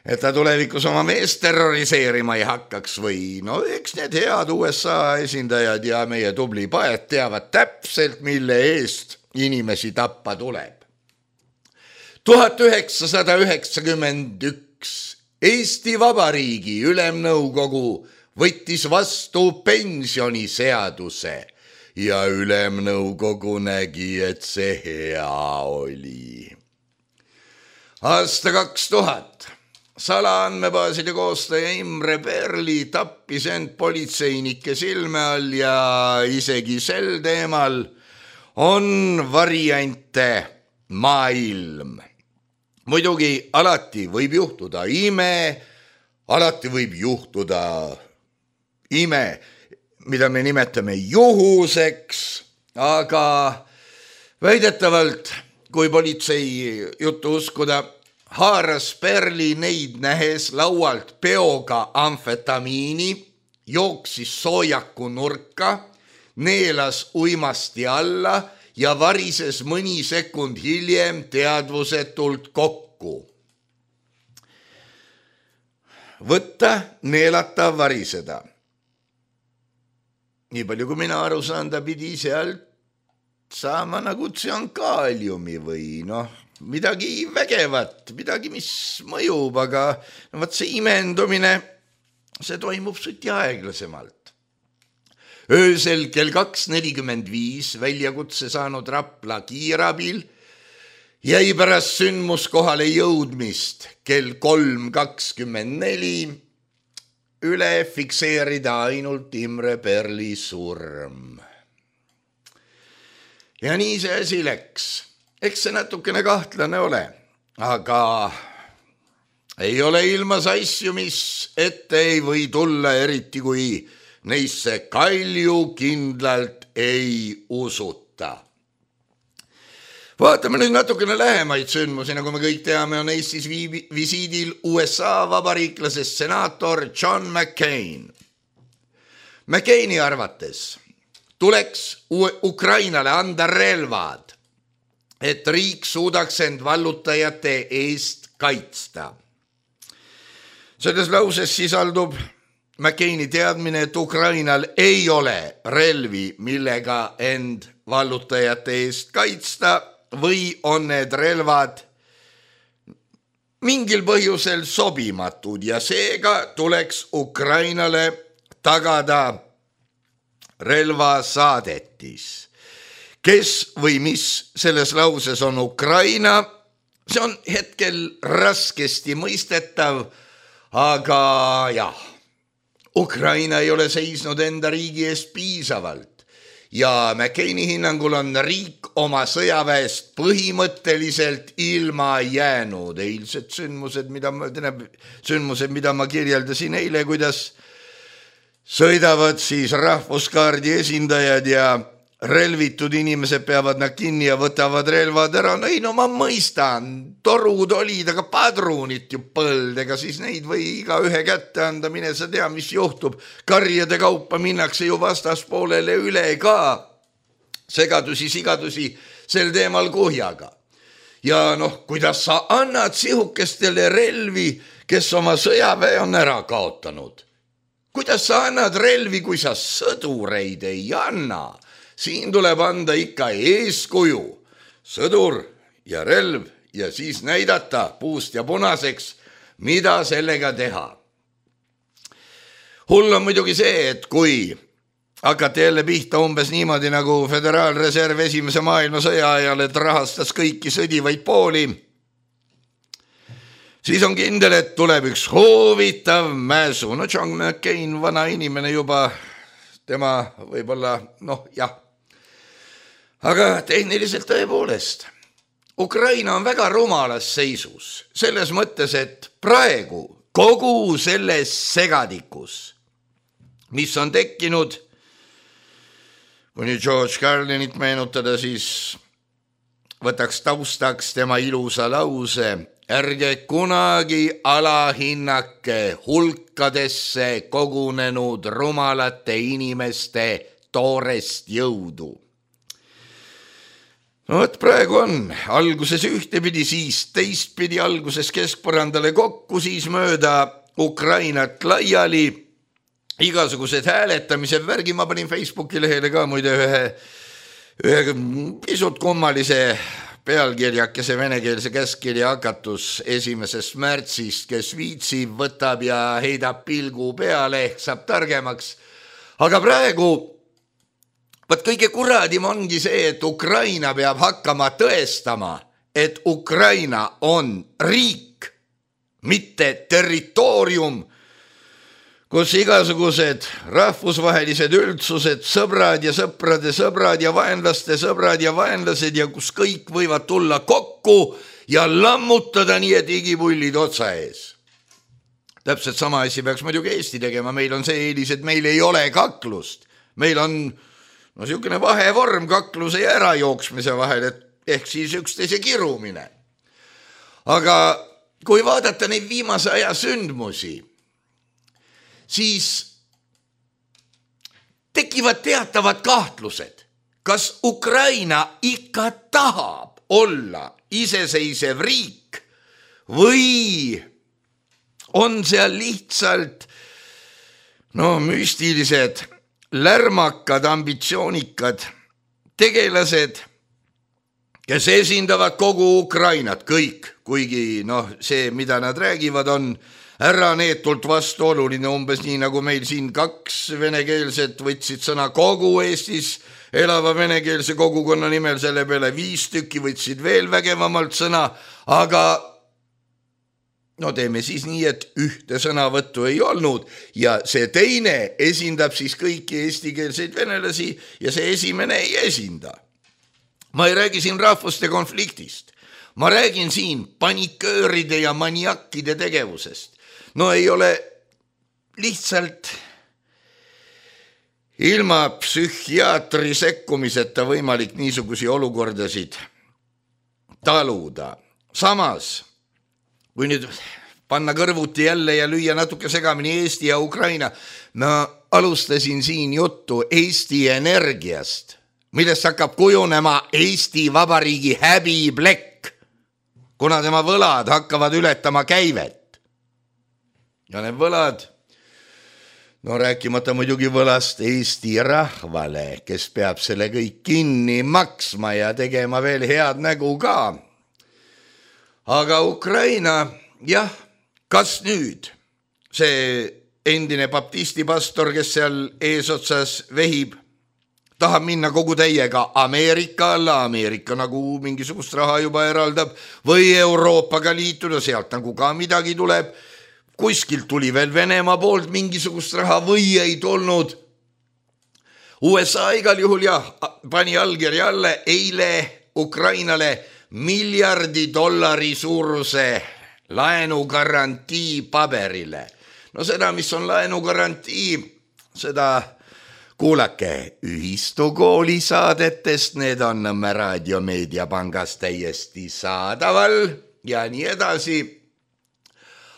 et ta tulevikus oma meest terroriseerima ei hakkaks või eks need head USA esindajad ja meie tubli Paet teavad täpselt, mille eest inimesi tappa tuleb. 1991 Eesti Vabariigi Ülemnõukogu võttis vastu pensioniseaduse ja ülemnõukogu nägi, et see hea oli. Aasta 2000. Salaandmebaaside koostaja Imre Perli tappis end politseinike silme all ja isegi sel teemal on variante maailm. Muidugi alati võib juhtuda ime, alati võib juhtuda ime, mida me nimetame juhuseks, aga väidetavalt, kui politsei juttu uskuda, haaras Perli neid nähes laualt peoga amfetamiini, jooksis soojaku nurka, neelas uimasti alla ja varises mõni sekund hiljem teadvusetult kokku. Võtta, neelata, variseda. Nii palju kui mina aru saan, ta pidi sealt saama nagu tsüankaaliumi või midagi vägevat, midagi, mis mõjub, aga see imendumine, see toimub suti aeglasemalt. Öösel kell 2.45 väljakutse saanud Rapla kiirabil jäi pärast sündmuskohale jõudmist kell 3.24 üle fikseerida ainult Imre Perli surm. Ja nii see asi läks. Eks see natukene kahtlane ole, aga ei ole ilmas asju, mis ette ei või tulla, eriti kui neisse kalju kindlalt ei usuta. Vaatame nüüd natukene lähemaid sündmusi, nagu me kõik teame, on Eestis visiidil USA vabariiklasest senaator John McCain. McCaini arvates tuleks Ukrainale anda relvad, et riik suudaks end vallutajate eest kaitsta. Selles lauses sisaldub McCaini teadmine, et Ukrainal ei ole relvi, millega end vallutajate eest kaitsta või on need relvad mingil põhjusel sobimatud ja seega tuleks Ukrainale tagada relvasaadetis. Kes või mis selles lauses on Ukraina, see on hetkel raskesti mõistetav, aga jah, Ukraina ei ole seisnud enda riigi eest piisavalt ja McCaini hinnangul on riik oma sõjaväest põhimõtteliselt ilma jäänud. Eilsed sündmused, mida ma kirjeldasin eile, kuidas sõidavad siis rahvuskaardi esindajad ja relvitud inimesed peavad nad kinni ja võtavad relvad ära. Ma mõistan, torud olid, aga padrunit ju põld, ega siis neid või iga ühe kätte anda, mine sa tea, mis juhtub. Karjade kaupa minnakse ju vastaspoolele üle ka. Segadusi, sigadusi sel teemal kuhjaga. Ja kuidas sa annad sihukestele relvi, kes oma sõjaväe on ära kaotanud? Kuidas sa annad relvi, kui sa sõdureid ei anna? Siin tuleb anda ikka eeskuju, sõdur ja relv ja siis näidata puust ja punaseks, mida sellega teha. Hull on muidugi see, et kui hakati jälle pihta umbes niimoodi nagu Föderaalreserv esimese maailmasõja ajal, et rahastas kõiki sõdivaid pooli, siis on kindel, et tuleb üks huvitav mäsu. John McCain, vana inimene juba, tema võib-olla, jah. Aga tehniliselt tõepoolest, Ukraina on väga rumalas seisus, selles mõttes, et praegu kogu selles segadikus, mis on tekkinud, kui nüüd George Carlinit meenutada, siis võtaks taustaks tema ilusa lause, ärge kunagi alahinnake hulkadesse kogunenud rumalate inimeste toorest jõudu. Praegu on alguses ühtepidi, siis teistpidi, alguses keskpõrandale kokku, siis mööda Ukrainat laiali, igasugused hääletamised, värgi, ma panin Facebooki lehele ka muide ühe pisut kummalise pealkirjakese venekeelse käskkirja hakatus 1. märtsist, kes viitsib, võtab ja heidab pilgu peale, ehk saab targemaks. Aga praegu Vaat kõige kuradim ongi see, et Ukraina peab hakkama tõestama, et Ukraina on riik, mitte territoorium, kus igasugused rahvusvahelised üldsused, sõbrad ja sõprade sõbrad ja vaenlaste sõbrad ja vaenlased ja kus kõik võivad tulla kokku ja lammutada nii, et igipullid otsa ees. Täpselt sama asi peaks muidugi Eesti tegema, meil on see eelis, et meil ei ole kaklust. Meil on niisugune vahevorm kakluse ja ärajooksmise vahel, et ehk siis üksteise kirumine. Aga kui vaadata neid viimase aja sündmusi, siis tekivad teatavad kahtlused, kas Ukraina ikka tahab olla iseseisev riik või on seal lihtsalt müstilised, lärmakad, ambitsioonikad tegelased, kes esindavad kogu Ukrainat, kõik, kuigi see, mida nad räägivad, on äraneetult vastuoluline, umbes nii nagu meil siin 2 venekeelset võtsid sõna kogu Eestis elava venekeelse kogukonna nimel, selle peale 5 tükki võtsid veel vägevamalt sõna, aga teeme siis nii, et ühte sõnavõttu ei olnud ja see teine esindab siis kõiki eestikeelseid venelasi ja see esimene ei esinda. Ma ei räägi siin rahvuste konfliktist, ma räägin siin panikööride ja maniakkide tegevusest. Ei ole lihtsalt ilma psühhiaatri sekkumiseta võimalik niisugusi olukordasid taluda. Samas, kui nüüd panna kõrvuti jälle ja lüüa natuke segamini Eesti ja Ukraina, ma alustasin siin juttu Eesti Energiast, millest hakkab kujunema Eesti Vabariigi häbiplekk, kuna tema võlad hakkavad ületama käivet. Ja need võlad, rääkimata muidugi võlast Eesti rahvale, kes peab selle kõik kinni maksma ja tegema veel head nägu ka. Aga Ukraina, jah, kas nüüd see endine baptisti pastor, kes seal eesotsas vehib, tahab minna kogu täiega Ameerika alla, Ameerika nagu mingisugust raha juba eraldab, või Euroopaga liituda, sealt nagu ka midagi tuleb, kuskilt tuli veel Venemaa poolt mingisugust raha või ei tulnud. USA igal juhul jah, pani allkirja alla eile Ukrainale $1 miljardi suuruse laenugarantii paberile. Seda, mis on laenugarantii, seda kuulake Ühistukooli saadetest, need on Nõmme Raadio Meediapangas täiesti saadaval ja nii edasi.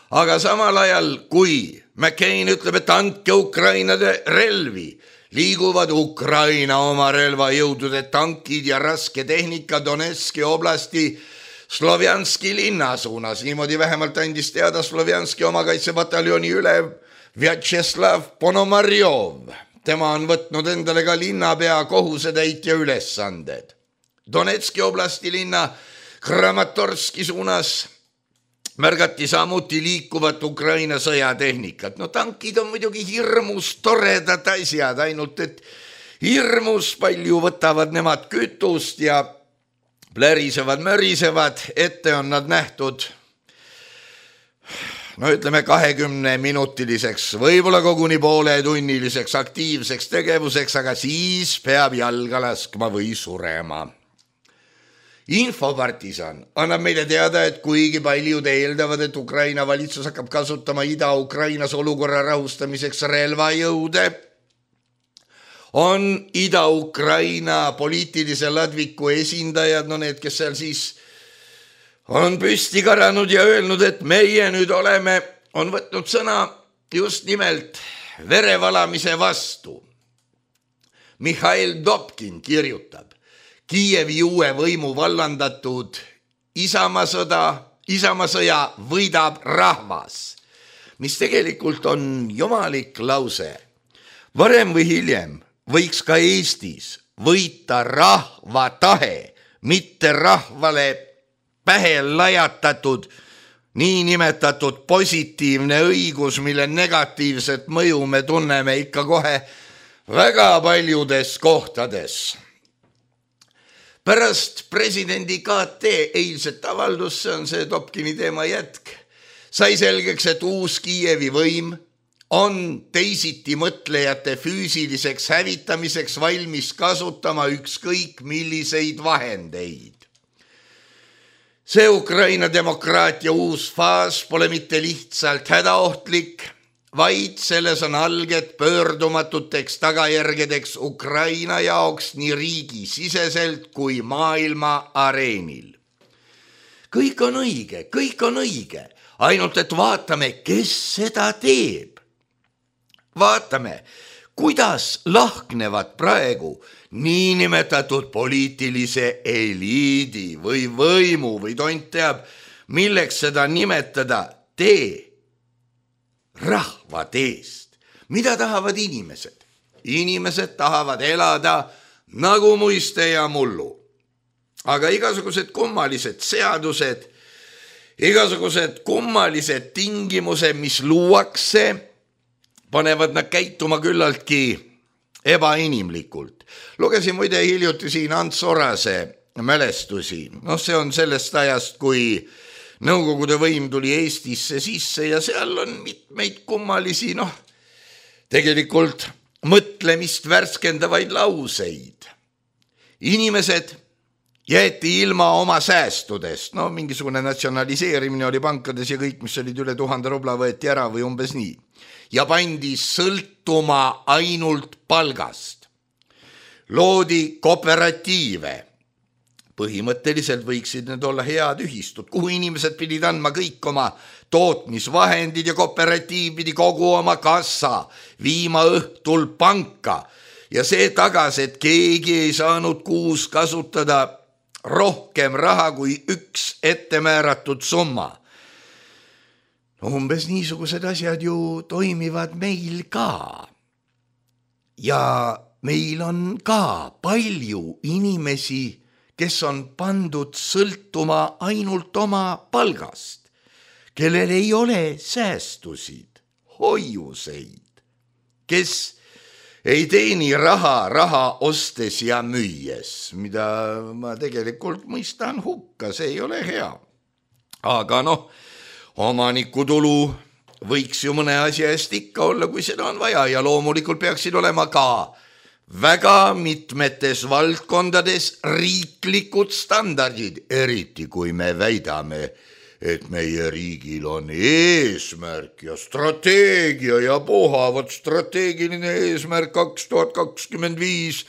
Aga samal ajal, kui McCain ütleb, et andke Ukrainade relvi, liiguvad Ukraina oma relvajõudude tankid ja raske tehnika Donetski oblasti Slovjanski linna suunas. Niimoodi vähemalt andis teada Slovjanski omakaitsepataljoni ülev Vjatšeslav Ponomarjov. Tema on võtnud endale ka linnapea kohusetäitja ülesanded. Donetski oblasti linna Kramatorski suunas märgati samuti liikuvat Ukraina sõjatehnikat. Tankid on muidugi hirmus toredad asjad, ainult et hirmus palju võtavad nemad kütust ja plärisevad, mörisevad. Ette on nad nähtud, ütleme 20-minutiliseks, võib-olla koguni pooletunniliseks aktiivseks tegevuseks, aga siis peab jalga laskma või surema. Infopartisan annab meile teada, et kuigi paljud eeldavad, et Ukraina valitsus hakkab kasutama Ida-Ukrainas olukorra rahustamiseks relvajõude, on Ida-Ukraina poliitilise ladviku esindajad, need, kes seal siis on püsti karanud ja öelnud, et meie nüüd on võtnud sõna just nimelt verevalamise vastu. Mihhail Dobkin kirjutab, Kiievi uue võimu vallandatud Isamaasõja võidab rahvas, mis tegelikult on jumalik lause. Varem või hiljem võiks ka Eestis võita rahva tahe, mitte rahvale pähe lajatatud niinimetatud positiivne õigus, mille negatiivset mõju me tunneme ikka kohe väga paljudes kohtades. Pärast presidendi KT eilset avaldus, see on see Topkini teema jätk, sai selgeks, et uus Kiievi võim on teisiti mõtlejate füüsiliseks hävitamiseks valmis kasutama ükskõik milliseid vahendeid. See Ukraina demokraatia uus faas pole mitte lihtsalt hädaohtlik, vaid selles on alged pöördumatuteks tagajärgedeks Ukraina jaoks nii riigi siseselt kui maailma areenil. Kõik on õige, ainult et vaatame, kes seda teeb. Vaatame, kuidas lahknevad praegu niinimetatud poliitilise eliidi või võimu või tont teab, milleks seda nimetada rahva teest. Mida tahavad inimesed? Inimesed tahavad elada nagu muiste ja mullu. Aga igasugused kummalised seadused, igasugused kummalised tingimused, mis luuakse, panevad nad käituma küllaltki ebainimlikult. Lugesin muide hiljuti siin Ants Orase mälestusi. See on sellest ajast, kui Nõukogude võim tuli Eestisse sisse ja seal on mitmeid kummalisi, tegelikult mõtlemist värskendavaid lauseid. Inimesed jäeti ilma oma säästudest, mingisugune natsionaliseerimine oli pankades ja kõik, mis olid üle 1000 rubla võeti ära või umbes nii. Ja pandi sõltuma ainult palgast. Loodi kooperatiive. Põhimõtteliselt võiksid need olla head ühistud, kuhu inimesed pidid andma kõik oma tootmisvahendid ja kooperatiiv pidi kogu oma kassa viima õhtul panka. Ja see tagas, et keegi ei saanud kuus kasutada rohkem raha kui üks ettemääratud summa. Umbes niisugused asjad ju toimivad meil ka. Ja meil on ka palju inimesi, kes on pandud sõltuma ainult oma palgast, kellel ei ole säästusid, hoiuseid, kes ei teeni raha ostes ja müües, mida ma tegelikult mõistan hukka, see ei ole hea. Aga omanikutulu võiks ju mõne asja eest ikka olla, kui seda on vaja ja loomulikult peaksid olema ka väga mitmetes valdkondades riiklikud standardid, eriti kui me väidame, et meie riigil on eesmärk ja strateegia ja puhavat strateegiline eesmärk 2025.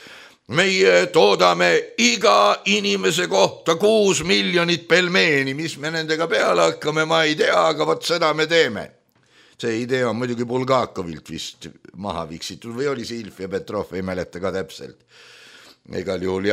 Meie toodame iga inimese kohta 6 miljonit pelmeeni, mis me nendega peale hakkame, ma ei tea, aga vot seda me teeme. See idee on muidugi Bulgakovilt vist maha viksitud või oli see Ilf ja Petrov, ei mäleta ka täpselt. Igal juhul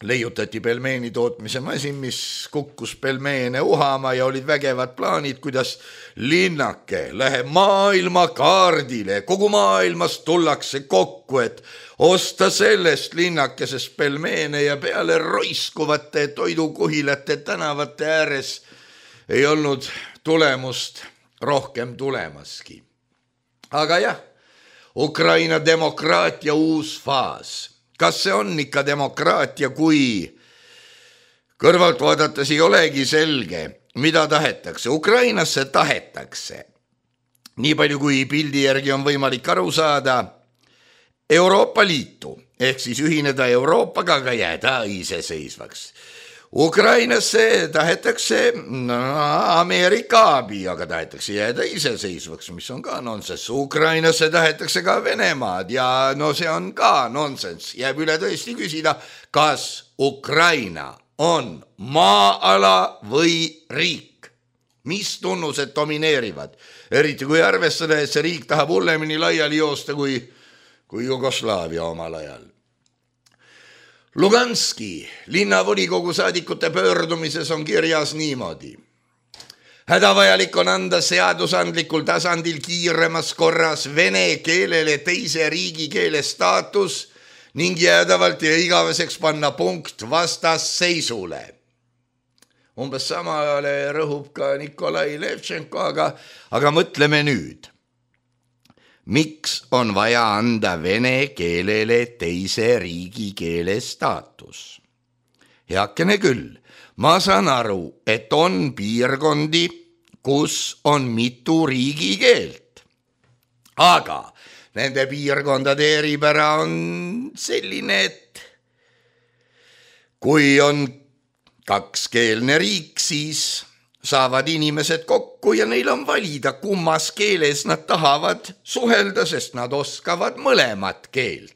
leiutati pelmeeni tootmise masin, mis kukkus pelmeene uhama ja olid vägevad plaanid, kuidas linnake läheb maailma kaardile. Kogu maailmas tullakse kokku, et osta sellest linnakesest pelmeene ja peale roiskuvate toidukuhilate tänavate ääres ei olnud tulemust rohkem tulemaski. Aga Ukraina demokraatia uus faas. Kas see on ikka demokraatia, kui kõrvalt vaadates ei olegi selge, mida tahetakse? Ukrainasse tahetakse, nii palju kui pildi järgi on võimalik aru saada, Euroopa Liitu, ehk siis ühineda Euroopaga, aga jääda iseseisvaks. Ukrainasse tahetakse Ameerika abi, aga tahetakse jääda iseseisvaks, mis on ka nonsenss. Ukrainasse tahetakse ka Venemaad ja see on ka nonsenss. Jääb üle tõesti küsida, kas Ukraina on maa-ala või riik. Mis tunnused domineerivad? Eriti kui arvestada, et see riik tahab hullemini laiali joosta kui Jugoslaavia omal ajal. Luganski linnavolikogu saadikute pöördumises on kirjas niimoodi. Hädavajalik on anda seadusandlikul tasandil kiiremas korras vene keelele teise riigikeele staatus ning jäädavalt ja igaveseks panna punkt vastasseisule. Umbes samale rõhub ka Nikolai Levtšenko, aga mõtleme nüüd. miks on vaja anda vene keelele teise riigikeele staatus? Heakene küll, ma saan aru, et on piirkondi, kus on mitu riigikeelt. Aga nende piirkondade eripära on selline, et kui on kakskeelne riik, siis saavad inimesed kokku ja neil on valida, kummas keeles nad tahavad suhelda, sest nad oskavad mõlemat keelt.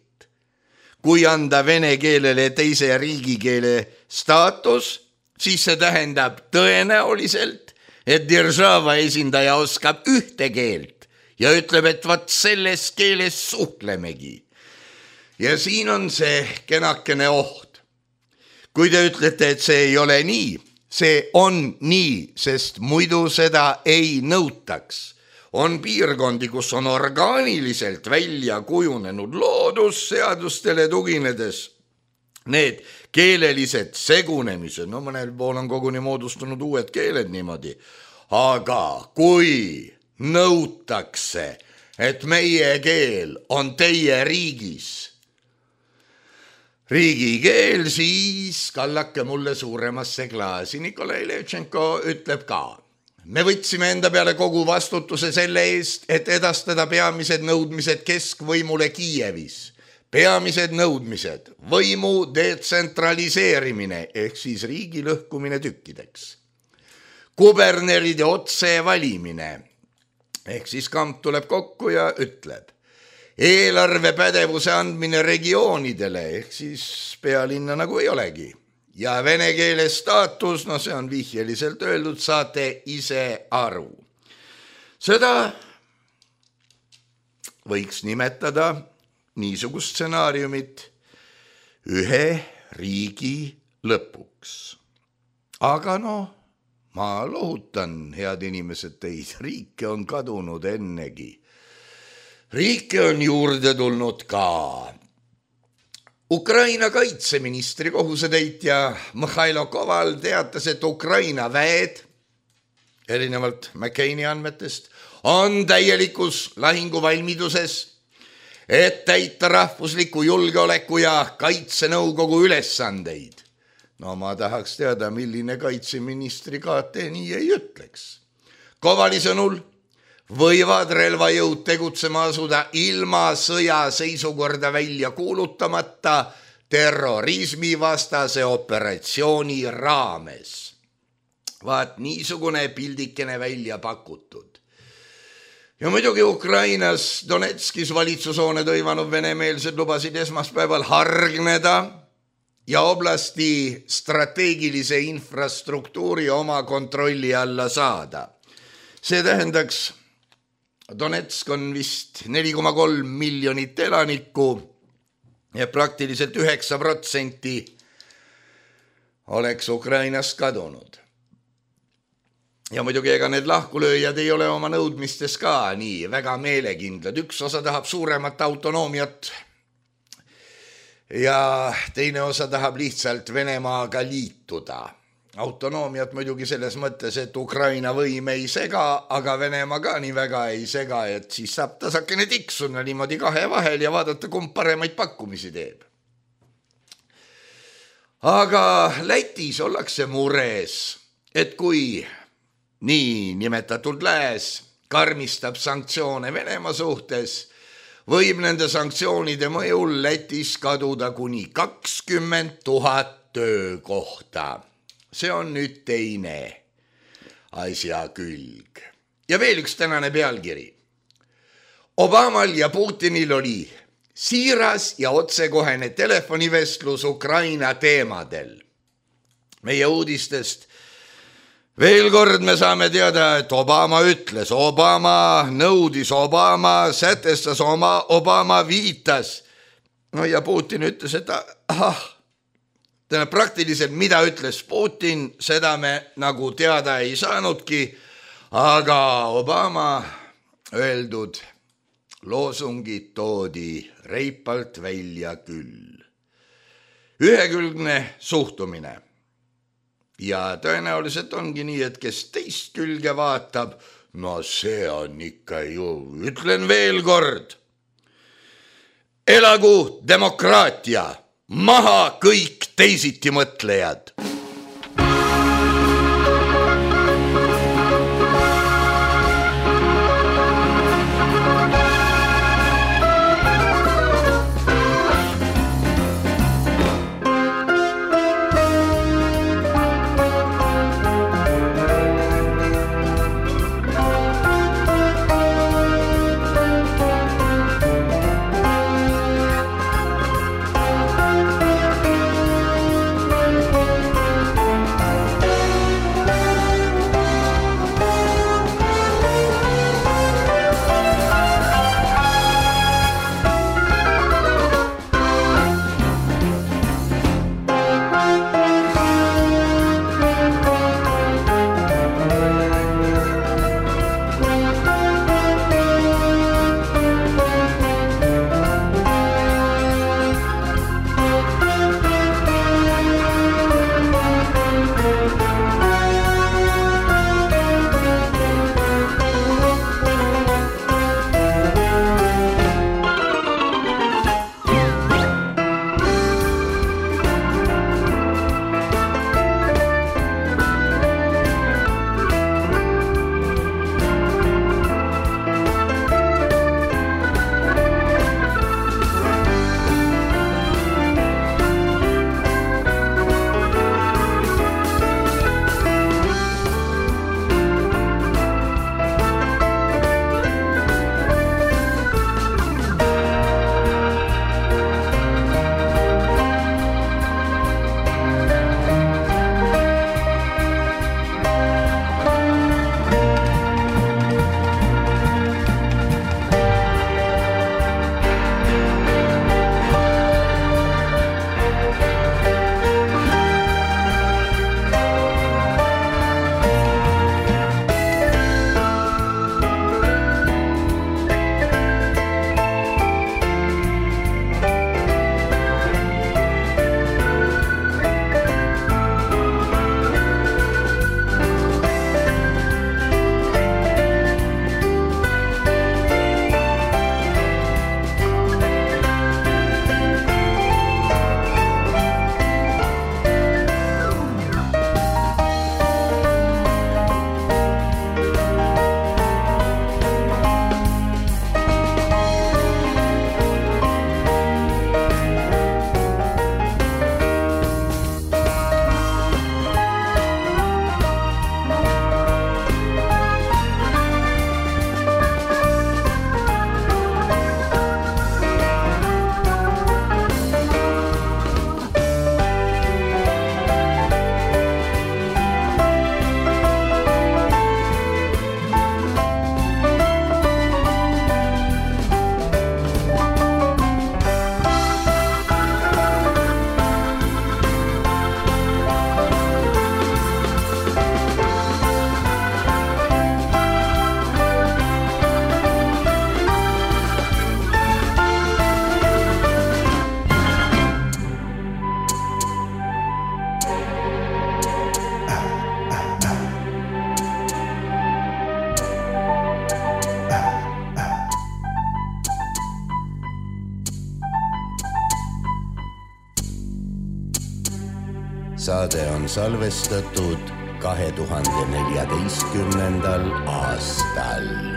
Kui anda vene keelele teise riigikeele staatus, siis see tähendab tõenäoliselt, et держава esindaja oskab ühte keelt ja ütleb, et vaat selles keeles suhtlemegi. Ja siin on see kenakene oht. Kui te ütlete, et see ei ole nii, see on nii, sest muidu seda ei nõutaks. On piirkondi, kus on orgaaniliselt välja kujunenud loodusseadustele tuginedes need keelelised segunemised, no mõnel pool on koguni moodustunud uued keeled niimoodi, aga kui nõutakse, et meie keel on teie riigikeel, siis kallake mulle suuremasse klaasi. Nikolai Levtšenko ütleb ka, me võtsime enda peale kogu vastutuse selle eest, et edastada peamised nõudmised keskvõimule Kiievis. Peamised nõudmised, võimu detsentraliseerimine ehk siis riigi lõhkumine tükkideks. Kuberneride otse valimine ehk siis kamp tuleb kokku ja ütleb. Eelarvepädevuse andmine regioonidele ehk siis pealinna nagu ei olegi. Ja vene keele staatus, no see on vihjeliselt öeldud, saate ise aru. Seda võiks nimetada niisugust stsenaariumit ühe riigi lõpuks. Aga ma lohutan, head inimesed, teid, riike on kadunud ennegi. Riike on juurde tulnud ka. Ukraina kaitseministri kohusetäitja Mihhailo Koval teatas, et Ukraina väed, erinevalt McCaini andmetest, on täielikus lahinguvalmiduses, et täita rahvusliku julgeoleku ja kaitsenõukogu ülesandeid. No ma tahaks teada, milline kaitseministri KT nii ei ütleks. Kovali sõnul võivad relvajõud tegutsema asuda ilma sõjaseisukorda välja kuulutamata terrorismivastase operatsiooni raames. Vaat niisugune pildikene välja pakutud. Ja muidugi Ukrainas Donetskis valitsushoone tõivanud venemeelsed lubasid esmaspäeval hargneda ja oblasti strateegilise infrastruktuuri oma kontrolli alla saada. See tähendaks, Donetsk on vist 4,3 miljonit elanikku ja praktiliselt 9% oleks Ukrainast kadunud. Ja muidugi ega need lahkulööjad ei ole oma nõudmistes ka nii väga meelekindlad. Üks osa tahab suuremat autonoomiat ja teine osa tahab lihtsalt Venemaaga liituda. Autonoomiat muidugi selles mõttes, et Ukraina võim ei sega, aga Venemaa ka nii väga ei sega, et siis saab tasakene tiksuna niimoodi kahe vahel ja vaadata, kumb paremaid pakkumisi teeb. Aga Lätis ollakse mures, et kui nii nimetatud lääs karmistab sanktsioone Venemaa suhtes, võib nende sanktsioonide mõjul Lätis kaduda kuni 20 000 töökohta. See on nüüd teine asja külg. Ja veel üks tänane pealkiri. Obamal ja Putinil oli siiras ja otsekohene telefonivestlus Ukraina teemadel. Meie uudistest veel kord me saame teada, et Obama ütles, Obama nõudis, Obama sätestas, Obama viitas. No ja Putin ütles, et praktiliselt mida ütles Putin, seda me nagu teada ei saanudki, aga Obama öeldud loosungid toodi reipalt välja küll. Ühekülgne suhtumine. Ja tõenäoliselt ongi nii, et kes teist külge vaatab, No see on ikka ju, ütlen veel kord. Elagu demokraatia, maha kõik teisiti mõtlejad. Saade on salvestatud 2014. aastal.